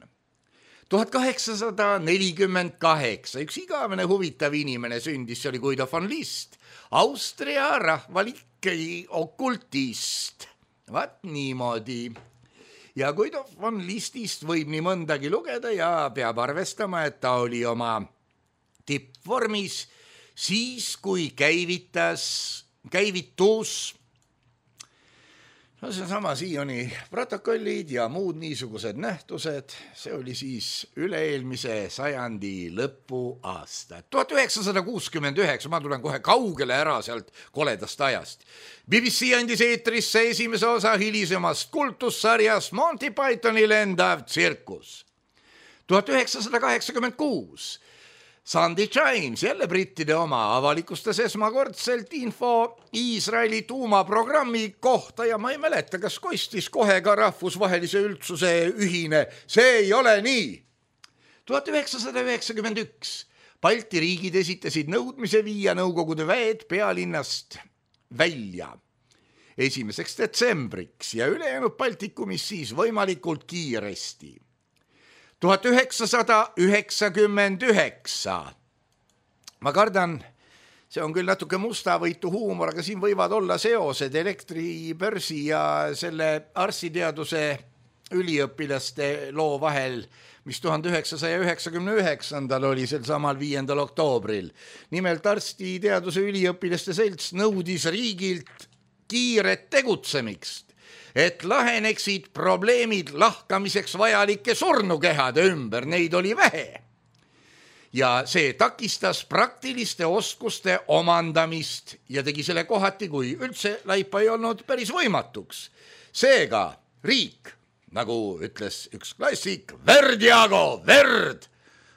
1848 üks igavene huvitav inimene sündis, see oli Guido von List, Austria rahvalik okultist. Vaat niimoodi. Ja Guido von Listist võib nii mõndagi lugeda ja peab arvestama, et ta oli oma tippvormis siis, kui käivitus seesama Sioni protokollid ja muud niisugused nähtused, see oli siis üle-eelmise sajandi lõpuaasta. 1969, ma tulen kohe kaugele ära sealt koledast ajast. BBC andis eetrisse esimese osa hilisemast kultussarjast Monty Pythoni lendav tsirkus. 1986 Sunday Times, jälle brittide oma, avalikustas esmakordselt info Iisraeli tuumaprogrammi kohta ja ma ei mäleta, kas kostis kohe ka rahvusvahelise üldsuse ühine. See ei ole nii. 1991 Balti riigid esitasid nõudmise viia Nõukogude väed pealinnast välja 1. detsembriks ja ülejäänud Baltikumis siis võimalikult kiiresti. 1999. Ma kardan, see on küll natuke mustavõitu huumor, aga siin võivad olla seosed elektribörsi ja selle arstiteaduse üliõpilaste loo vahel, mis 1999. oli sel samal 5. oktoobril. Nimelt arstiteaduse üliõpilaste selts nõudis riigilt kiiret tegutsemist, et laheneksid probleemid lahkamiseks vajalike surnukehade ümber, neid oli vähe. Ja see takistas praktiliste oskuste omandamist ja tegi selle kohati, kui üldse laipa ei olnud, päris võimatuks. Seega riik, nagu ütles üks klassik, verd, Jaago, verd!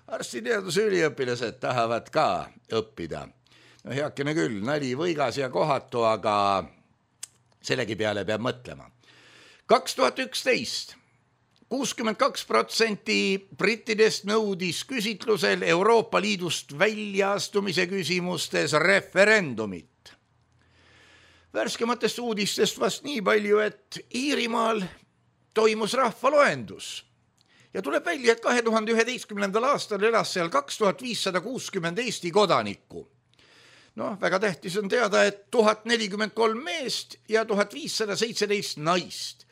Arstiteaduse üliõpilased tahavad ka õppida. No heakene küll, nali võigas ja kohatu, aga sellegi peale peab mõtlema. 2011 62% brittidest nõudis küsitlusel Euroopa Liidust väljaastumise küsimustes referendumit. Värskematest uudistest vast nii palju, et Iirimaal toimus rahvaloendus ja tuleb välja, et 2011. aastal elas seal 2560 Eesti kodanikku. Väga tähtis on teada, et 1043 meest ja 1517 naist.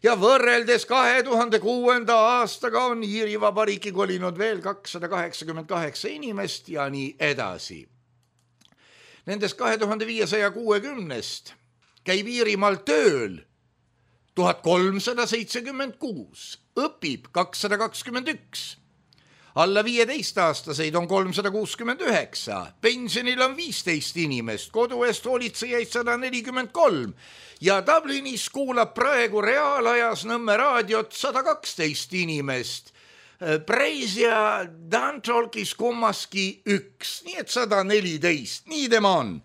ja võrreldes 2006. aastaga on Iiri Vabariiki kolinud veel 288 inimest ja nii edasi. Nendest 2560-st käib Iirimaal tööl 1376, õpib 221, alla 15-aastaseid on 369, pensionil on 15 inimest, kodu eest hoolitsejaid 143 ja Dublinis kuulab praegu reaalajas Nõmme raadiot 112 inimest. Preis ja Dantalkis kummaski 1, nii et 114, nii tema on.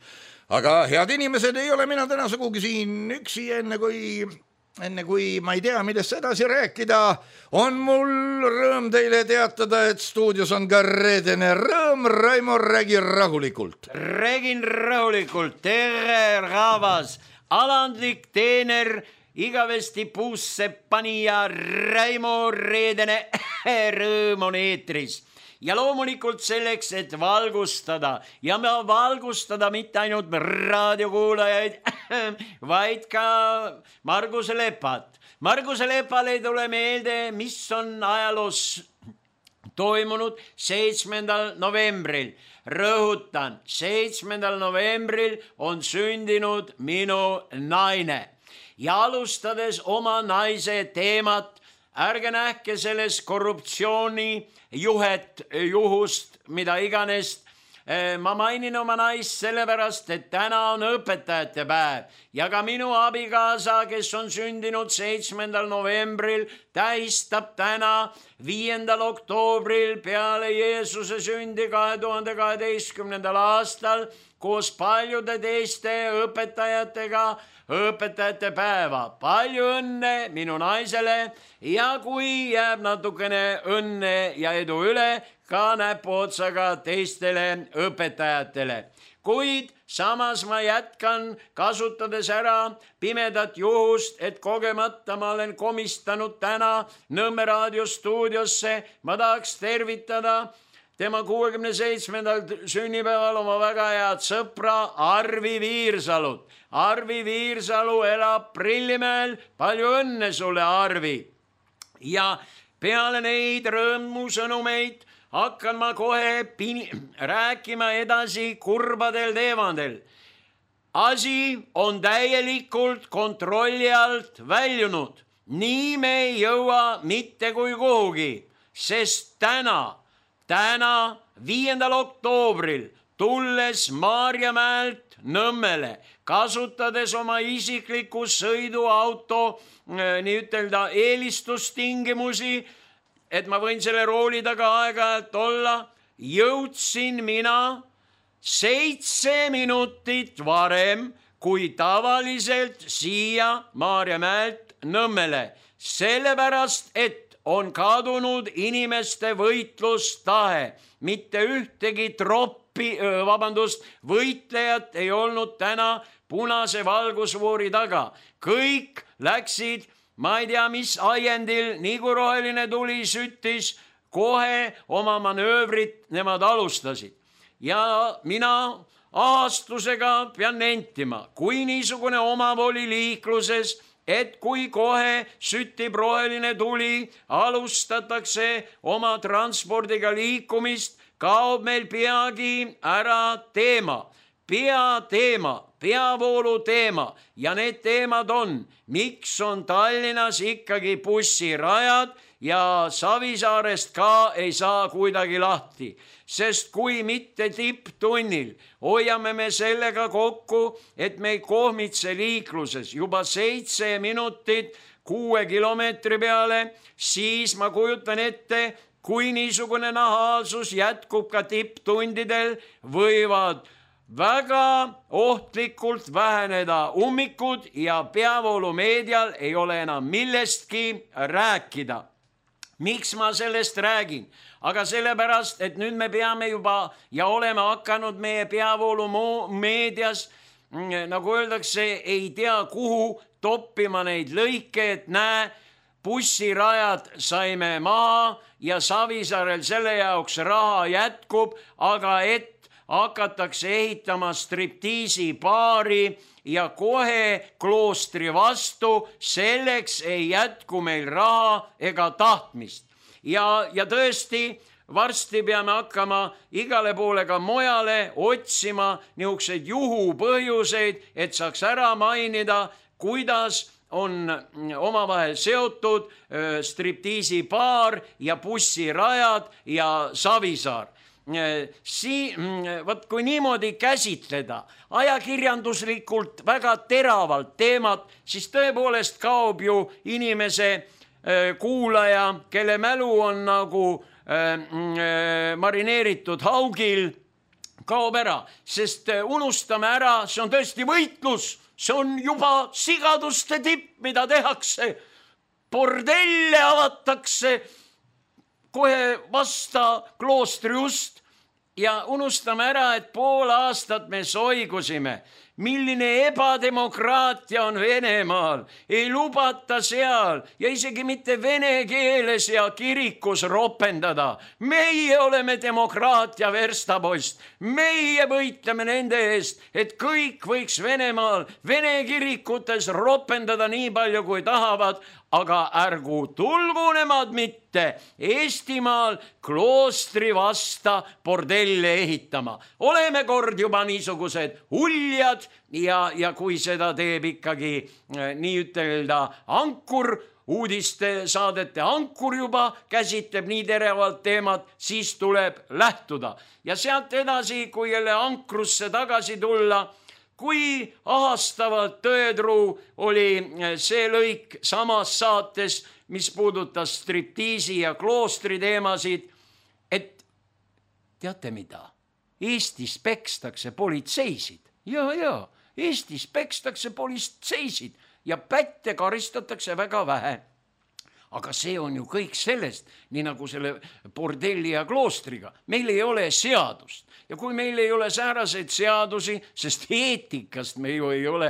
Aga head inimesed, ei ole mina täna sugugi siin üksi, enne kui ma ei tea, millest edasi rääkida, on mul rõõm teile teatada, et stuudios on ka reedene rõõm. Raimo, räägi rahulikult. Räägin rahulikult, tere rahvas, alandlik teener, igavesti puusse panija Raimo Reedene rõõm on eetris. Ja loomulikult selleks, et valgustada ja valgustada mitte ainult raadiokuulajaid, vaid ka Marguse Lepat. Marguse Lepale ei tule meelde, mis on ajaloos toimunud 7. novembril. Rõhutan, 7. novembril on sündinud minu naine. Ja alustades oma naise teemat, ärge nähke selles korruptsiooni juhust, mida iganes. Ma mainin oma naist sellepärast, et täna on õpetajate päev ja ka minu abikaasa, kes on sündinud 7. novembril, tähistab täna 5. oktoobril peale Jeesuse sündi 2012. aastal koos paljude teiste õpetajatega õpetajate päeva. Palju õnne minu naisele ja kui jääb natukene õnne ja edu üle, ka näpuotsaga teistele õpetajatele. Kuid samas ma jätkan kasutades ära pimedat juhust, et kogemata ma olen komistanud täna Nõmme raadiostuudiosse. Ma tahaks tervitada tema 67. sünnipäeval oma väga head sõpra Arvi Viirsalut. Arvi Viirsalu elab Prillimäel. Palju õnne sulle, Arvi. Ja peale neid rõõmusõnumeid hakkan ma kohe rääkima edasi kurbadel teemadel. Asi on täielikult kontrolli alt väljunud. Nii me ei jõua mitte kui kuhugi, sest täna 5. oktoobril tulles Maarjamäelt Nõmmele, kasutades oma isikliku sõiduauto nii ütelda eelistustingimusi, et ma võin selle rooli taga aeg-ajalt olla, jõudsin mina 7 minutit varem kui tavaliselt siia Maarjamäelt Nõmmele, sellepärast et on kadunud inimeste võitlustahe. Mitte ühtegi võitlejat ei olnud täna punase valgusfoori taga. Kõik läksid, ma ei tea mis ajendil, nii kui roheline tuli süttis, kohe oma manöövrit nemad alustasid. Ja mina ahastusega pean nentima, kui niisugune omavoli liikluses, et kui kohe süttib roheline tuli, alustatakse oma transpordiga liikumist, kaob meil peagi ära peavoolu teema ja need teemad on, miks on Tallinnas ikkagi bussirajad ja Savisaarest ka ei saa kuidagi lahti. Sest kui mitte tipptunnil hoiame me sellega kokku, et me ei kohmitse liikluses juba 7 minutit 6 kilomeetri peale, siis ma kujutan ette, kui niisugune nahaalsus jätkub ka tipptundidel, võivad väga ohtlikult väheneda ummikud ja peavoolumeedial ei ole enam millestki rääkida. Miks ma sellest räägin? Aga sellepärast, et nüüd me peame juba ja oleme hakanud meie peavoolumeedias, nagu öeldakse, ei tea kuhu toppima neid lõike, et näe, bussirajad saime maha ja Savisaarel selle jaoks raha jätkub, aga et hakatakse ehitama striptiisipaari ja kohe kloostri vastu, selleks ei jätku meil raha ega tahtmist. Ja tõesti, varsti peame hakkama igale poole ka mujale otsima niisuguseid juhupõhjuseid, et saaks ära mainida, kuidas on omavahel seotud striptiisipaar ja bussirajad ja Savisaar. Kui niimoodi käsitleda ajakirjanduslikult väga teravalt teemat, siis tõepoolest kaob ju inimese kuulaja, kelle mälu on nagu marineeritud haugil, kaob ära, sest unustame ära, see on tõesti võitlus, see on juba sigaduste tipp, mida tehakse. Bordelle avatakse kohe vasta kloostri ust ja unustame ära, et pool aastat me soigusime. Milline ebademokraatia on Venemaal, ei lubata seal ja isegi mitte vene keeles ja kirikus ropendada. Meie oleme demokraatia verstapost, meie võitleme nende eest, et kõik võiks Venemaal vene kirikutes ropendada nii palju kui tahavad, aga ärgu tulgu nemad mitte Eestimaal kloostri vasta bordelle ehitama. Oleme kord juba niisugused uljad ja kui seda teeb ikkagi nii ütelda ankur, uudiste saadete ankur juba käsitleb nii teravalt teemat, siis tuleb lähtuda. Ja sealt edasi, kui jälle ankrusse tagasi tulla, kui ahastavalt tõetruu oli see lõik samas saates, mis puudutas striptiisi ja kloostri teemasid, et teate mida? Eestis pekstakse politseisid. Ja, Eestis pekstakse politseisid ja pätte karistatakse väga vähe. Aga see on ju kõik sellest, nii nagu selle bordelli ja kloostriga. Meil ei ole seadust. Ja kui meil ei ole sääraseid seadusi, sest eetikast me ju ei ole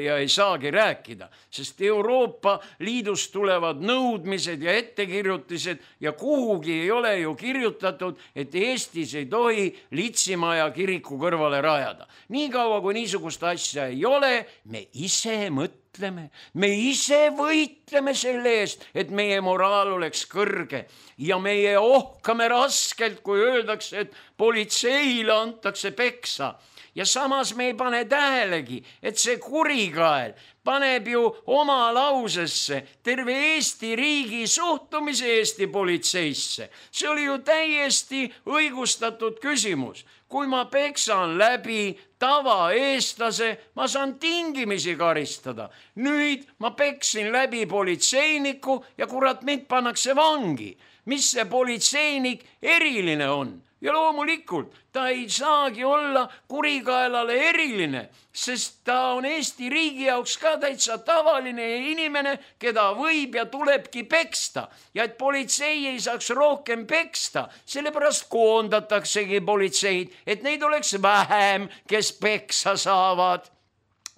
ja ei saagi rääkida, sest Euroopa Liidust tulevad nõudmised ja ettekirjutised ja kuhugi ei ole ju kirjutatud, et Eestis ei tohi Litsimaja kiriku kõrvale rajada. Nii kaua, kui niisugust asja ei ole, me ise mõtleme, me ise võitleme selle eest, et meie moraal oleks kõrge ja meie ohkame raskelt, kui öeldakse, et politseile antakse peksa. Ja samas me ei pane tähelegi, et see kurikael paneb ju oma lausesse terve Eesti riigi suhtumise Eesti politseisse. See oli ju täiesti õigustatud küsimus. Kui ma peksan läbi tavaeestlase, ma saan tingimisi karistada. Nüüd ma peksin läbi politseiniku ja kurat, mind pannakse vangi. Mis see politseinik eriline on? Ja loomulikult ta ei saagi olla kurikaelale eriline, sest ta on Eesti riigi jaoks ka täitsa tavaline inimene, keda võib ja tulebki peksta. Ja et politsei ei saaks rohkem peksta, sellepärast koondataksegi politseid, et neid oleks vähem, kes peksa saavad.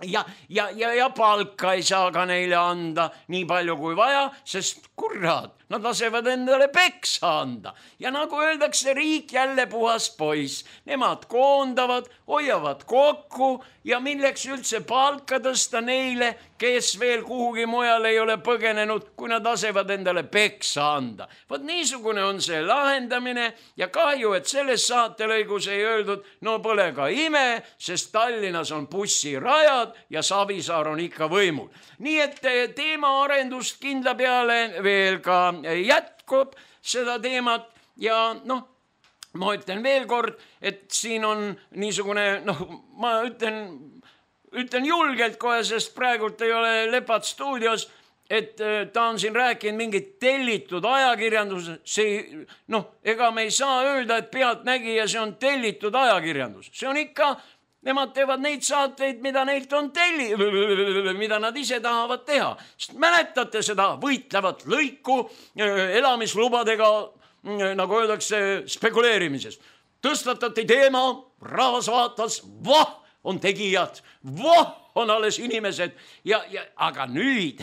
Ja palka ei saa ka neile anda nii palju kui vaja, sest kurat, nad lasevad endale peksa anda. Ja nagu öeldakse, riik jälle puhas poiss. Nemad koondavad, hoiavad kokku ja milleks üldse palka tõsta neile, kes veel kuhugi mujal ei ole põgenenud, kui nad lasevad endale peksa anda. Vot niisugune on see lahendamine ja kahju, et selles saatelõigus ei öeldud, no pole ka ime, sest Tallinnas on bussirajad ja Savisaar on ikka võimul. Nii et teemaarendust kindla peale veel ka jätkub seda teemat ja ma ütlen veel kord, et siin on niisugune, ma ütlen julgelt kohe, sest praegult ei ole Lepat stuudios, et ta on siin rääkinud mingit tellitud ajakirjandus. Ega me ei saa öelda, et pealtnägija see on tellitud ajakirjandus. See on ikka, nemad teevad neid saateid, mida neilt on mida nad ise tahavad teha. Sest mäletate seda võitlevat lõiku elamislubadega, nagu öeldakse, spekuleerimises. Tõstatati teema, rahvas vaatas, on tegijad, on alles inimesed aga nüüd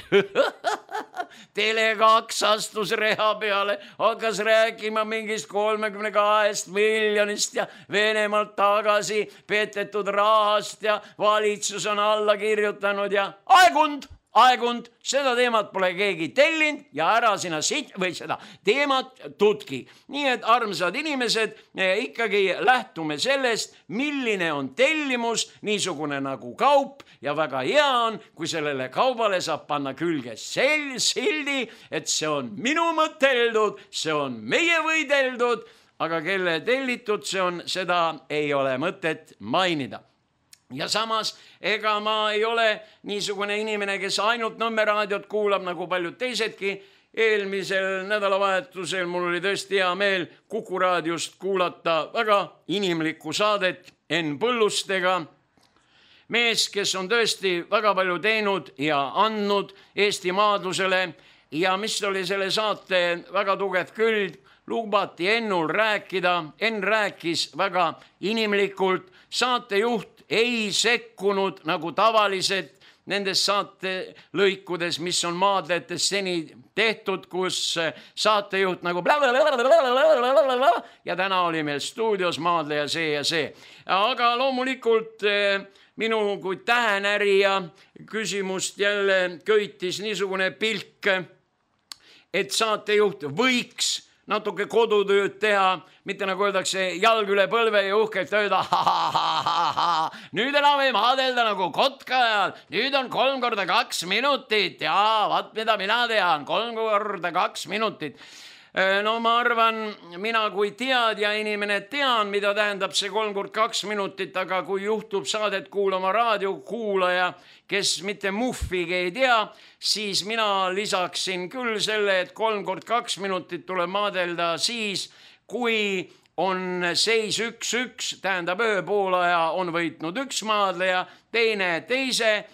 Tele2 astus reha peale, hakkas rääkima mingist 32 miljonist ja Venemaalt tagasi petetud rahast ja valitsus on alla kirjutanud ja aegund, seda teemat pole keegi tellinud ja ära sina seda teemat tutki. Nii et armsad inimesed, ikkagi lähtume sellest, milline on tellimus, niisugune nagu kaup ja väga hea on, kui sellele kaubale saab panna külge sildi, et see on minu mõteldud, see on meie võideldud, aga kelle tellitud see on, seda ei ole mõtet mainida. Ja samas, ega ma ei ole niisugune inimene, kes ainult Nõmme raadiot kuulab, nagu paljud teisedki. Eelmisel nädalavahetusel mul oli tõesti hea meel Kuku raadiost kuulata väga inimlikku saadet Enn Põllustega. Mees, kes on tõesti väga palju teinud ja andnud Eesti maadlusele ja mis oli selle saate väga tugev küll, lubati Ennul rääkida. Enn rääkis väga inimlikult, saatejuht ei sekkunud nagu tavaliselt nendes saatelõikudes, mis on maadletes seni tehtud, kus saatejuht nagu ja täna oli meil stuudios maadleja see ja see. Aga loomulikult minu kui tähenärija küsimust jälle köitis niisugune pilk, et saatejuht võiks natuke kodutööd teha, mitte nagu öeldakse jalg üle põlve ja uhkelt öelda nüüd enam ei maadelda nagu kotkajal, nüüd on 3x2 minutit ja vaat mida mina tean, 3x2 minutit. No ma arvan, mina kui teadja inimene tean, mida tähendab see 3x2 minutit, aga kui juhtub saadet kuulama raadiokuulaja, kes mitte muffigi ei tea, siis mina lisaksin küll selle, et 3x2 minutit tuleb maadelda siis, kui on seis 1-1, tähendab ühe poolaja on võitnud üks maadleja, teine teise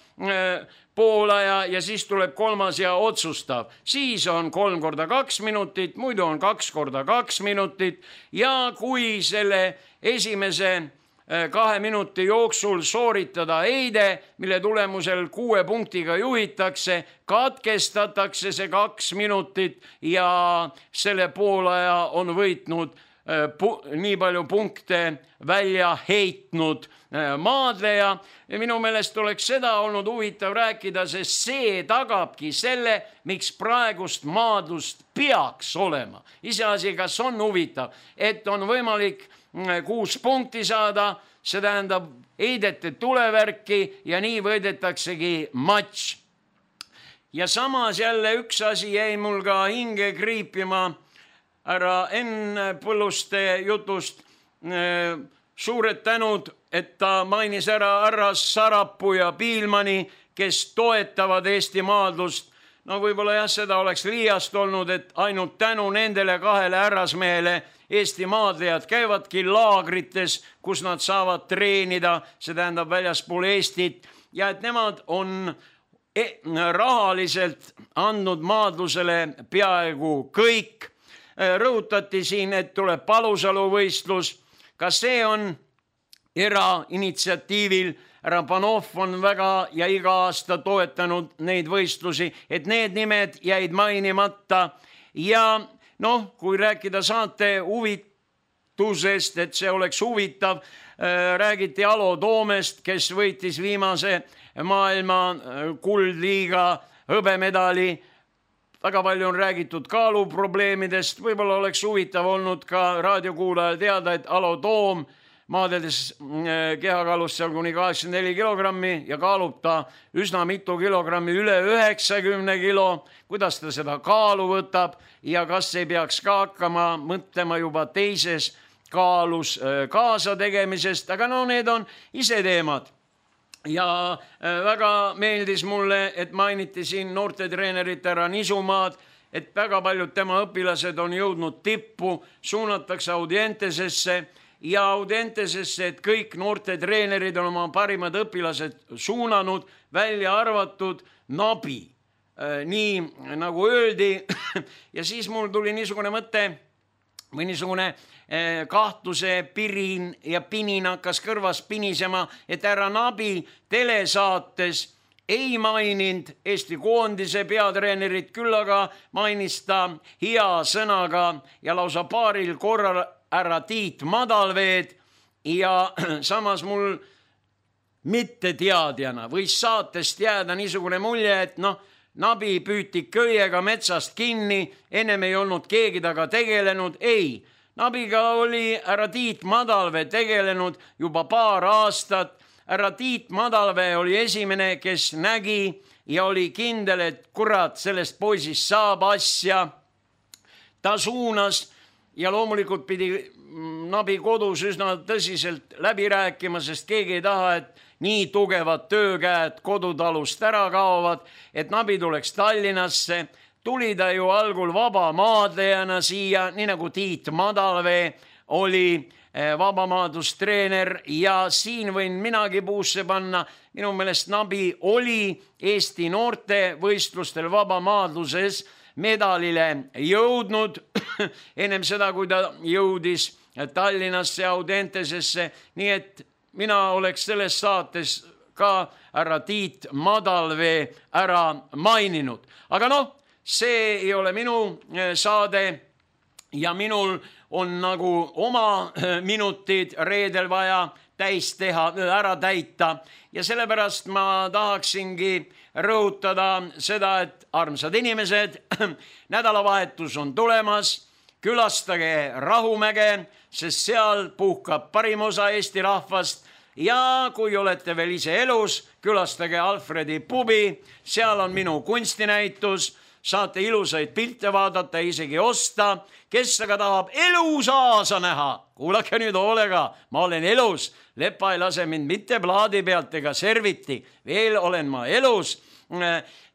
poolaja ja siis tuleb kolmas ja otsustav. Siis on 3x2 minutit, muidu on 2x2 minutit ja kui selle esimese 2 minuti jooksul sooritada heide, mille tulemusel 6 punktiga juhitakse, katkestatakse see 2 minutit ja selle poolaja on võitnud nii palju punkte välja heitnud maadleja. Minu meelest oleks seda olnud huvitav rääkida, sest see tagabki selle, miks praegust maadlust peaks olema. Iseasi, kas on huvitav, et on võimalik 6 punkti saada, see tähendab heidete tulevärki ja nii võidetaksegi matš. Ja samas jälle üks asi jäi mul ka hinge kriipima härra Enn Põlluste jutust. Suured tänud, et ta mainis ära Arras Sarapuu ja Piilmani, kes toetavad Eesti maadlust. No võib-olla jah, seda oleks liiast olnud, et ainult tänu nendele 2 härrasmehele Eesti maadlejad käivadki laagrites, kus nad saavad treenida, see tähendab väljaspool Eestit, ja et nemad on rahaliselt andnud maadlusele peaaegu kõik. Rõhutati siin, et tuleb Palusalu võistlus. Ka see on erainitsiatiivil. Härra Panov on väga ja iga aasta toetanud neid võistlusi, et need nimed jäid mainimata. Ja kui rääkida saate huvitusest, et see oleks huvitav, räägiti Alo Toomest, kes võitis viimase maailma kuldliiga hõbemedali. Väga palju on räägitud kaaluprobleemidest, võib-olla oleks huvitav olnud ka raadiokuulajal teada, et Alo Toom maadeldes kehakaalust seal kuni 84 kilogrammi ja kaalub ta üsna mitu kilogrammi, üle 90 kilo. Kuidas ta seda kaalu võtab ja kas ei peaks ka hakkama mõtlema juba teises kaalus kaasa tegemisest, aga need on ise teemad. Ja väga meeldis mulle, et mainiti siin noortetreenerit härra Nisumaad, et väga paljud tema õpilased on jõudnud tippu, suunatakse Audientesesse ja Audientesesse, et kõik noortetreenerid on oma parimad õpilased suunanud, välja arvatud Nabi. Nii nagu öeldi. Ja siis mul tuli niisugune mõte, või niisugune kahtluse pirin ja pinin hakkas kõrvas pinisema, et härra Nabi telesaates ei maininud Eesti koondise peatreenerit, küll aga mainis ta hea sõnaga ja lausa paaril korral härra Tiit Madalveed ja samas mul mitteteadjana võis saatest jääda niisugune mulje, et Nabi püüti köiega metsast kinni, ennem ei olnud keegi taga tegelenud, ei. Nabiga oli härra Tiit Madalvee tegelenud juba paar aastat. Härra Tiit Madalvee oli esimene, kes nägi ja oli kindel, et kurat, sellest poisist saab asja. Ta suunas ja loomulikult pidi Nabi kodus üsna tõsiselt läbi rääkima, sest keegi ei taha, et nii tugevad töökäed kodutalust ära kaovad, et Nabi tuleks Tallinnasse. Tuli ta ju algul vabamaadlejana siia, nii nagu Tiit Madalvee oli vabamaadustreener ja siin võin minagi puusse panna. Minu meelest Nabi oli Eesti noortevõistlustel vabamaadluses medalile jõudnud ennem seda, kui ta jõudis Tallinnasse Audentesesse, nii et mina oleks selles saates ka härra Tiit Madalvee ära maininud. Aga see ei ole minu saade ja minul on nagu oma minutid reedel vaja täis teha, ära täita ja sellepärast ma tahaksingi rõhutada seda, et armsad inimesed, nädalavahetus on tulemas, külastage Rahumäge, sest seal puhkab parim osa Eesti rahvast ja kui olete veel ise elus, külastage Alfredi pubi, seal on minu kunstinäitus, saate ilusaid pilte vaadata, isegi osta. Kes aga tahab elusaasa näha, kuulake nüüd hoolega, ma olen elus, lepa ei lase mind mitte plaadi pealt ega serviti, veel olen ma elus.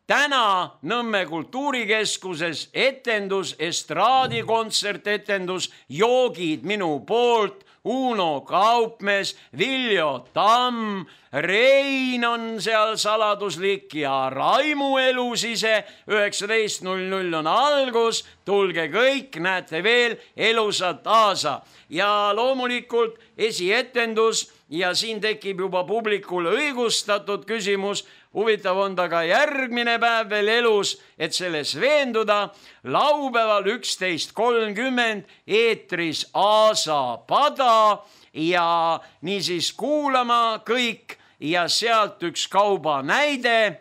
Täna Nõmme kultuurikeskuses etendus, estraadikontsert-etendus, joogid minu poolt, Uno Kaupmees, Viljo Tamm, Rein on seal saladuslik ja Raimu elus ise, 19:00 on algus, tulge kõik, näete veel elusat aasa. Ja loomulikult esietendus ja siin tekib juba publikul õigustatud küsimus, huvitav on ta ka järgmine päev veel elus, et selles veenduda. Laupäeval 11:30 eetris Aasa pada ja niisiis kuulama kõik ja sealt üks kauba näide,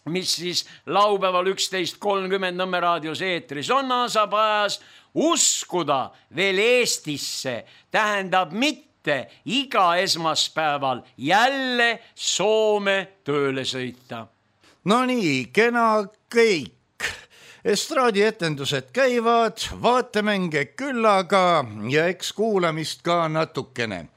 mis siis laupäeval 11:30 Nõmme raadios eetris on Aasa pajas. Uskuda veel Eestisse tähendab mitte iga esmaspäeval jälle Soome tööle sõita. No nii, kena kõik. Estraadietendused käivad, vaatemänge küllaga ja eks kuulamist ka natukene.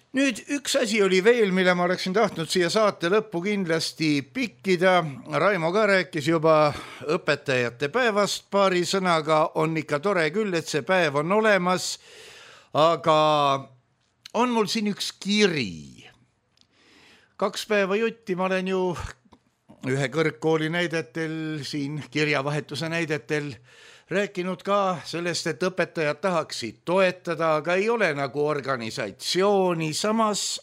Nüüd üks asi oli veel, mille ma oleksin tahtnud siia saate lõppu kindlasti pikkida. Raimo ka rääkis juba õpetajate päevast paari sõnaga, on ikka tore küll, et see päev on olemas, aga on mul siin üks kiri. 2 päeva jutti ma olen ju ühe kõrgkooli näidetel, siin kirjavahetuse näidetel rääkinud ka sellest, et õpetajad tahaksid toetada, aga ei ole nagu organisatsiooni, samas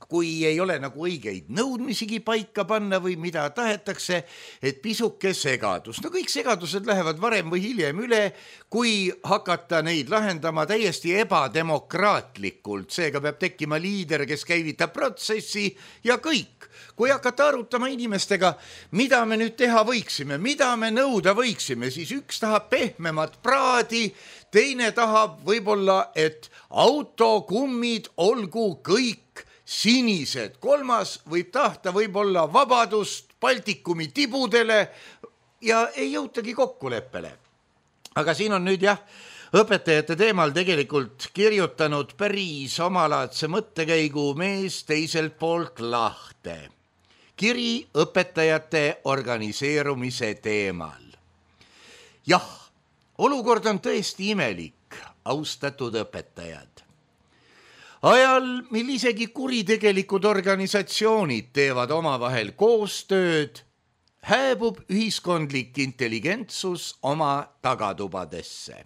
kui ei ole nagu õigeid nõudmisigi paika panna või mida tahetakse, et pisuke segadus. No kõik segadused lähevad varem või hiljem üle, kui hakata neid lahendama täiesti ebademokraatlikult. Seega peab tekkima liider, kes käivitab protsessi ja kõik. Kui hakata arutama inimestega, mida me nüüd teha võiksime, mida me nõuda võiksime, siis üks tahab pehmemat praadi, teine tahab võib-olla, et autokummid olgu kõik sinised, kolmas võib tahta võib-olla vabadust Baltikumi tibudele ja ei jõutagi kokkuleppele. Aga siin on nüüd õpetajate teemal tegelikult kirjutanud päris omalaadse mõttekäigu mees teiselt poolt lahte. Kiri õpetajate organiseerumise teemal. Jah, olukord on tõesti imelik, austatud õpetajad. Ajal, mil isegi kuritegelikud organisatsioonid teevad omavahel koostööd, hääbub ühiskondlik intelligentsus oma tagatubadesse.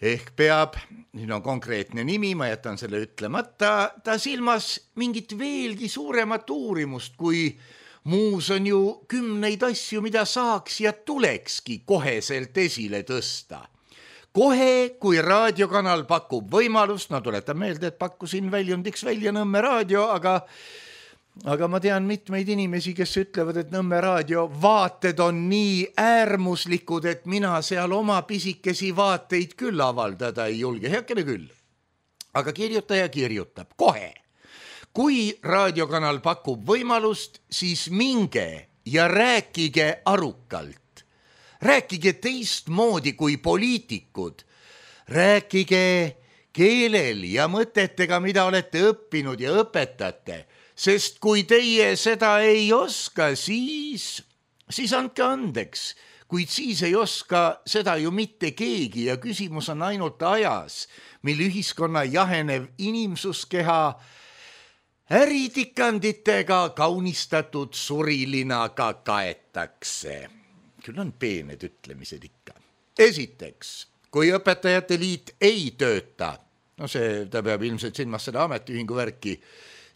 ehk peab, siin on konkreetne nimi, ma jätan selle ütlemata, ta silmas mingit veelgi suuremat uurimust, kui muus on ju 10 asju, mida saaks ja tulekski koheselt esile tõsta. Kohe, kui raadiokanal pakub võimalust, no tuletan meelde, et pakkusin väljundiks välja Nõmme raadio, aga ma tean mitmeid inimesi, kes ütlevad, et Nõmme raadio vaated on nii äärmuslikud, et mina seal oma pisikesi vaateid küll avaldada ei julge, heakene küll. Aga kirjutaja kirjutab kohe. Kui raadiokanal pakub võimalust, siis minge ja rääkige arukalt. Rääkige teistmoodi kui poliitikud. Rääkige keelel ja mõtetega, mida olete õppinud ja õpetate. Sest kui teie seda ei oska, siis andke andeks. Kuid siis ei oska seda ju mitte keegi ja küsimus on ainult ajas, mil ühiskonna jahenev inimsuskeha äritikanditega kaunistatud surilinaga kaetakse. Küll on peened ütlemised ikka. Esiteks, kui õpetajate liit ei tööta, no ta peab ilmselt silmas seda ametiühingu värki,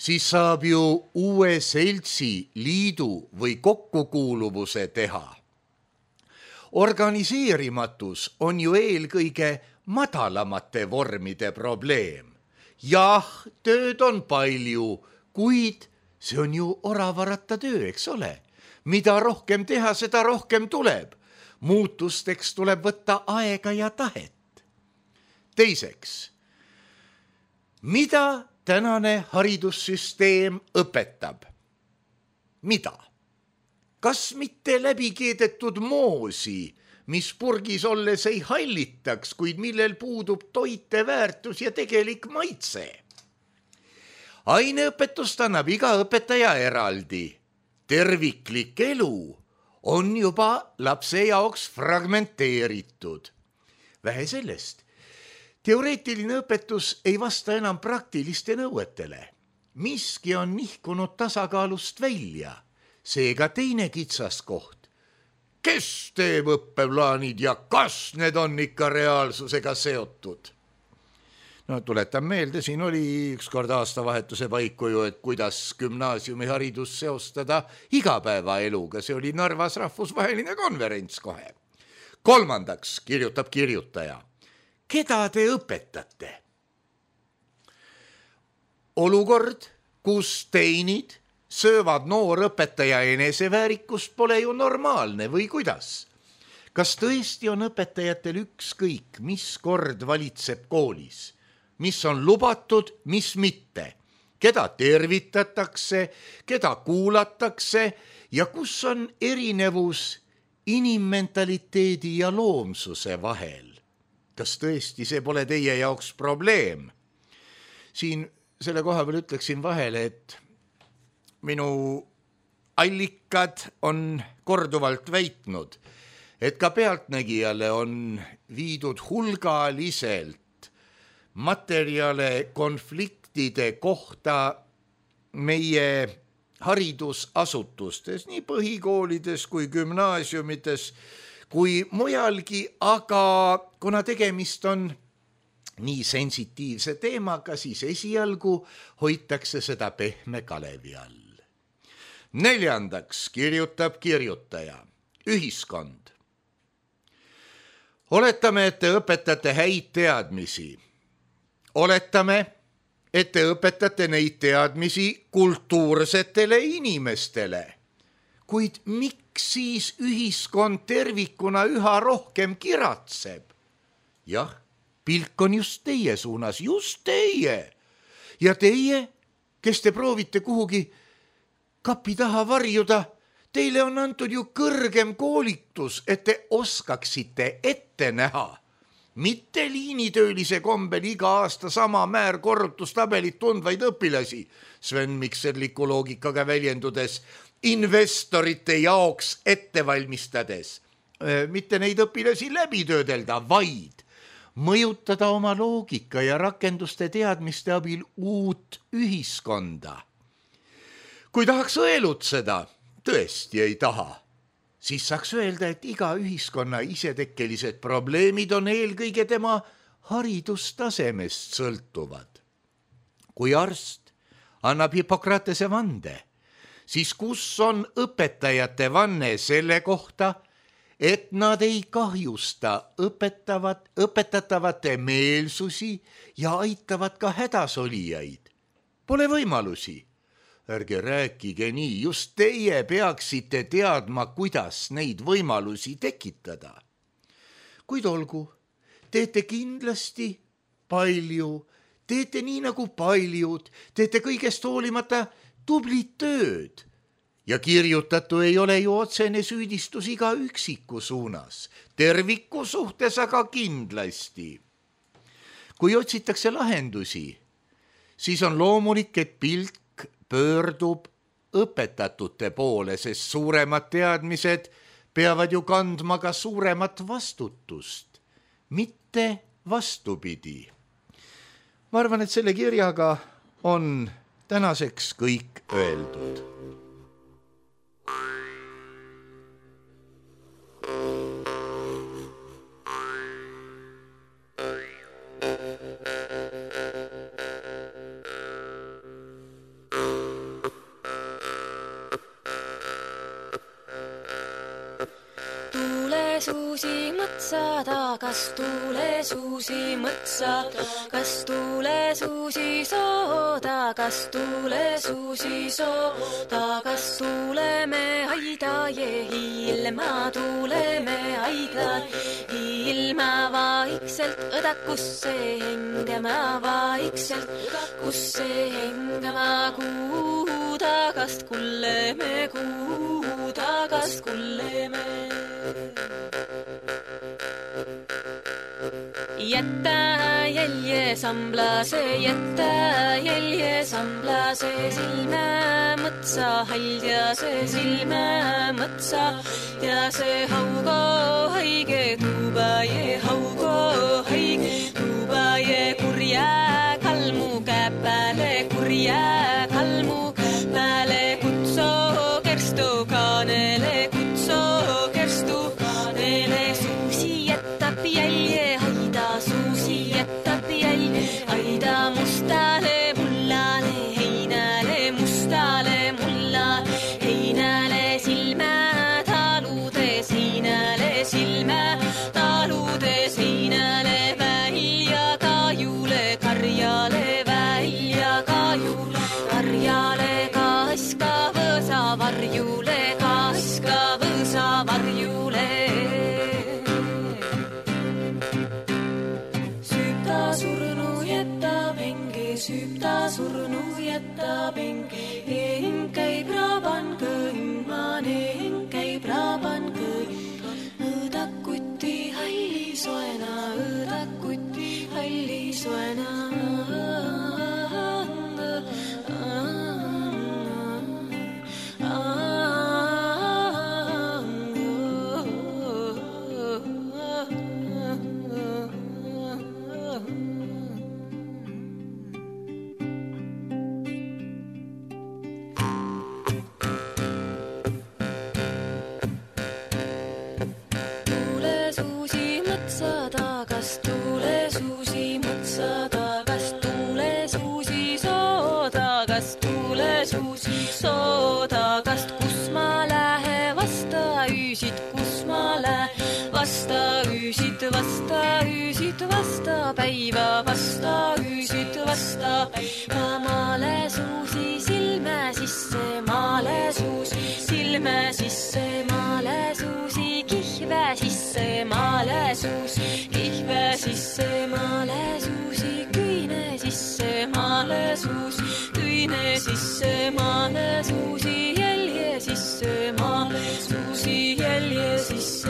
siis saab ju uue seltsi, liidu või kokkukuuluvuse teha. Organiseerimatus on ju eelkõige madalamate vormide probleem. Jah, tööd on palju, kuid see on ju oravaratta töö, eks ole? Mida rohkem teha, seda rohkem tuleb. Muutusteks tuleb võtta aega ja tahet. Teiseks, mida tänane haridussüsteem õpetab? Mida? Kas mitte läbikeedetud moosi, mis purgis olles ei hallitaks, kuid millel puudub toiteväärtus ja tegelik maitse? Aineõpetust annab iga õpetaja eraldi. Terviklik elu on juba lapse jaoks fragmenteeritud. Vähe sellest, teoreetiline õpetus ei vasta enam praktiliste nõuetele. Miski on nihkunud tasakaalust välja, seega teine kitsaskoht. Kes teeb õppeplaanid ja kas need on ikka reaalsusega seotud? No tuletan meelde, siin oli ükskord aastavahetuse paiku ju, et kuidas gümnaasiumiharidus seostada igapäevaeluga. See oli Narvas rahvusvaheline konverents kohe. Kolmandaks kirjutab kirjutaja. Keda te õpetate? Olukord, kus teinid söövad noorõpetaja eneseväärikust, pole ju normaalne või kuidas? Kas tõesti on õpetajatel ükskõik, mis kord valitseb koolis? Mis on lubatud, mis mitte, keda tervitatakse, keda kuulatakse ja kus on erinevus inimmentaliteedi ja loomsuse vahel. Kas tõesti see pole teie jaoks probleem? Siin selle koha peal ütleksin vahele, et minu allikad on korduvalt väitnud, et ka pealtnägijale on viidud hulgaliselt materjale konfliktide kohta meie haridusasutustes, nii põhikoolides kui gümnaasiumides, kui mujalgi, aga kuna tegemist on nii sensitiivse teemaga, siis esialgu hoitakse seda pehme kalevi all. Neljandaks kirjutab kirjutaja, ühiskond. Oletame, et te õpetate häid teadmisi. Oletame, et te õpetate neid teadmisi kultuursetele inimestele. Kuid miks siis ühiskond tervikuna üha rohkem kiratseb? Jah, pilk on just teie suunas, just teie. Ja teie, kes te proovite kuhugi kapi taha varjuda, teile on antud ju kõrgem koolitus, et te oskaksite ette näha. Mitte liinitöölise kombel iga aasta sama määr korrutustabelit tundvaid õpilasi, Sven Mikserliku loogikaga väljendudes, investorite jaoks ette valmistades. Mitte neid õpilasi läbi töödelda, vaid mõjutada oma loogika ja rakenduste teadmiste abil uut ühiskonda. Kui tahaks õelutseda, tõesti ei taha, siis saaks öelda, et iga ühiskonna isetekkelised probleemid on eelkõige tema haridustasemest sõltuvad. Kui arst annab Hippokratese vande, siis kus on õpetajate vanne selle kohta, et nad ei kahjusta õpetatavate meelsusi ja aitavad ka hädasolijaid? Pole võimalusi. Ärge rääkige nii, just teie peaksite teadma, kuidas neid võimalusi tekitada. Kuid olgu, teete kindlasti palju, teete nii nagu paljud, teete kõigest hoolimata tublit tööd. Ja kirjutatu ei ole ju otsene süüdistus iga üksiku suunas, terviku suhtes aga kindlasti. Kui otsitakse lahendusi, siis on loomulik, et pilk pöördub õpetatute poole, sest suuremad teadmised peavad ju kandma ka suuremat vastutust, mitte vastupidi. Ma arvan, et selle kirjaga on tänaseks kõik öeldud. Suusi mõtsada, kas tuule suusi mõtsada, kas tuule suusi sooda, kas tuule suusi sooda, kas tuleme aida ja ilma tuleme aida, ilma vaikselt õdakusse hengama, vaikselt õdakusse hengama, kuu tagast kulleme, kuu tagast kulleme. Jätta jälje samblase, silmä mõtsa haljase, silmä mõtsa ja see haugo haige tuuba je, haugo haige tuuba je, kurja kalmu käppäle, kurja kalmu käppäle, kutso kerstu kaanele, kutso kerstu kaanele, suusi jätab jälje, suusi jätab jälje, aida mustale mullale, heinale mustale mullale, heinale silmä taludes, heinale silmä taludes, heinale välja kajule, karjale välja kajule, karjale kaska võsa varjule, kaska võsa varjule. Süüpta surnu jätab hing käib raban kõngman, hing käib raban kõngman, õdakuti halli soena, õdakuti halli soena. Vasta päiva, vasta üüsid, vasta päiva, maale suusi silme sisse, maale suusi silme sisse, maale suusi kihve sisse, maale suusi kihve sisse, maale suusi küine sisse, maale suusi küine sisse, maale suusi jälje sisse, maale suusi jälje sisse.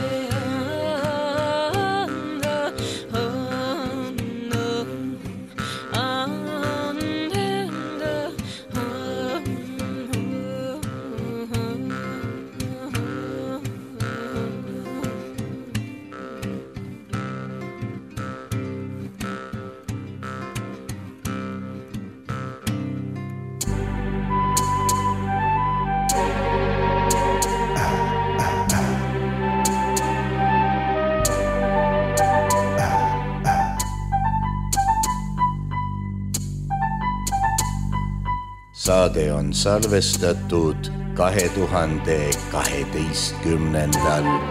saade on salvestatud 2012.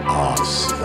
aastal.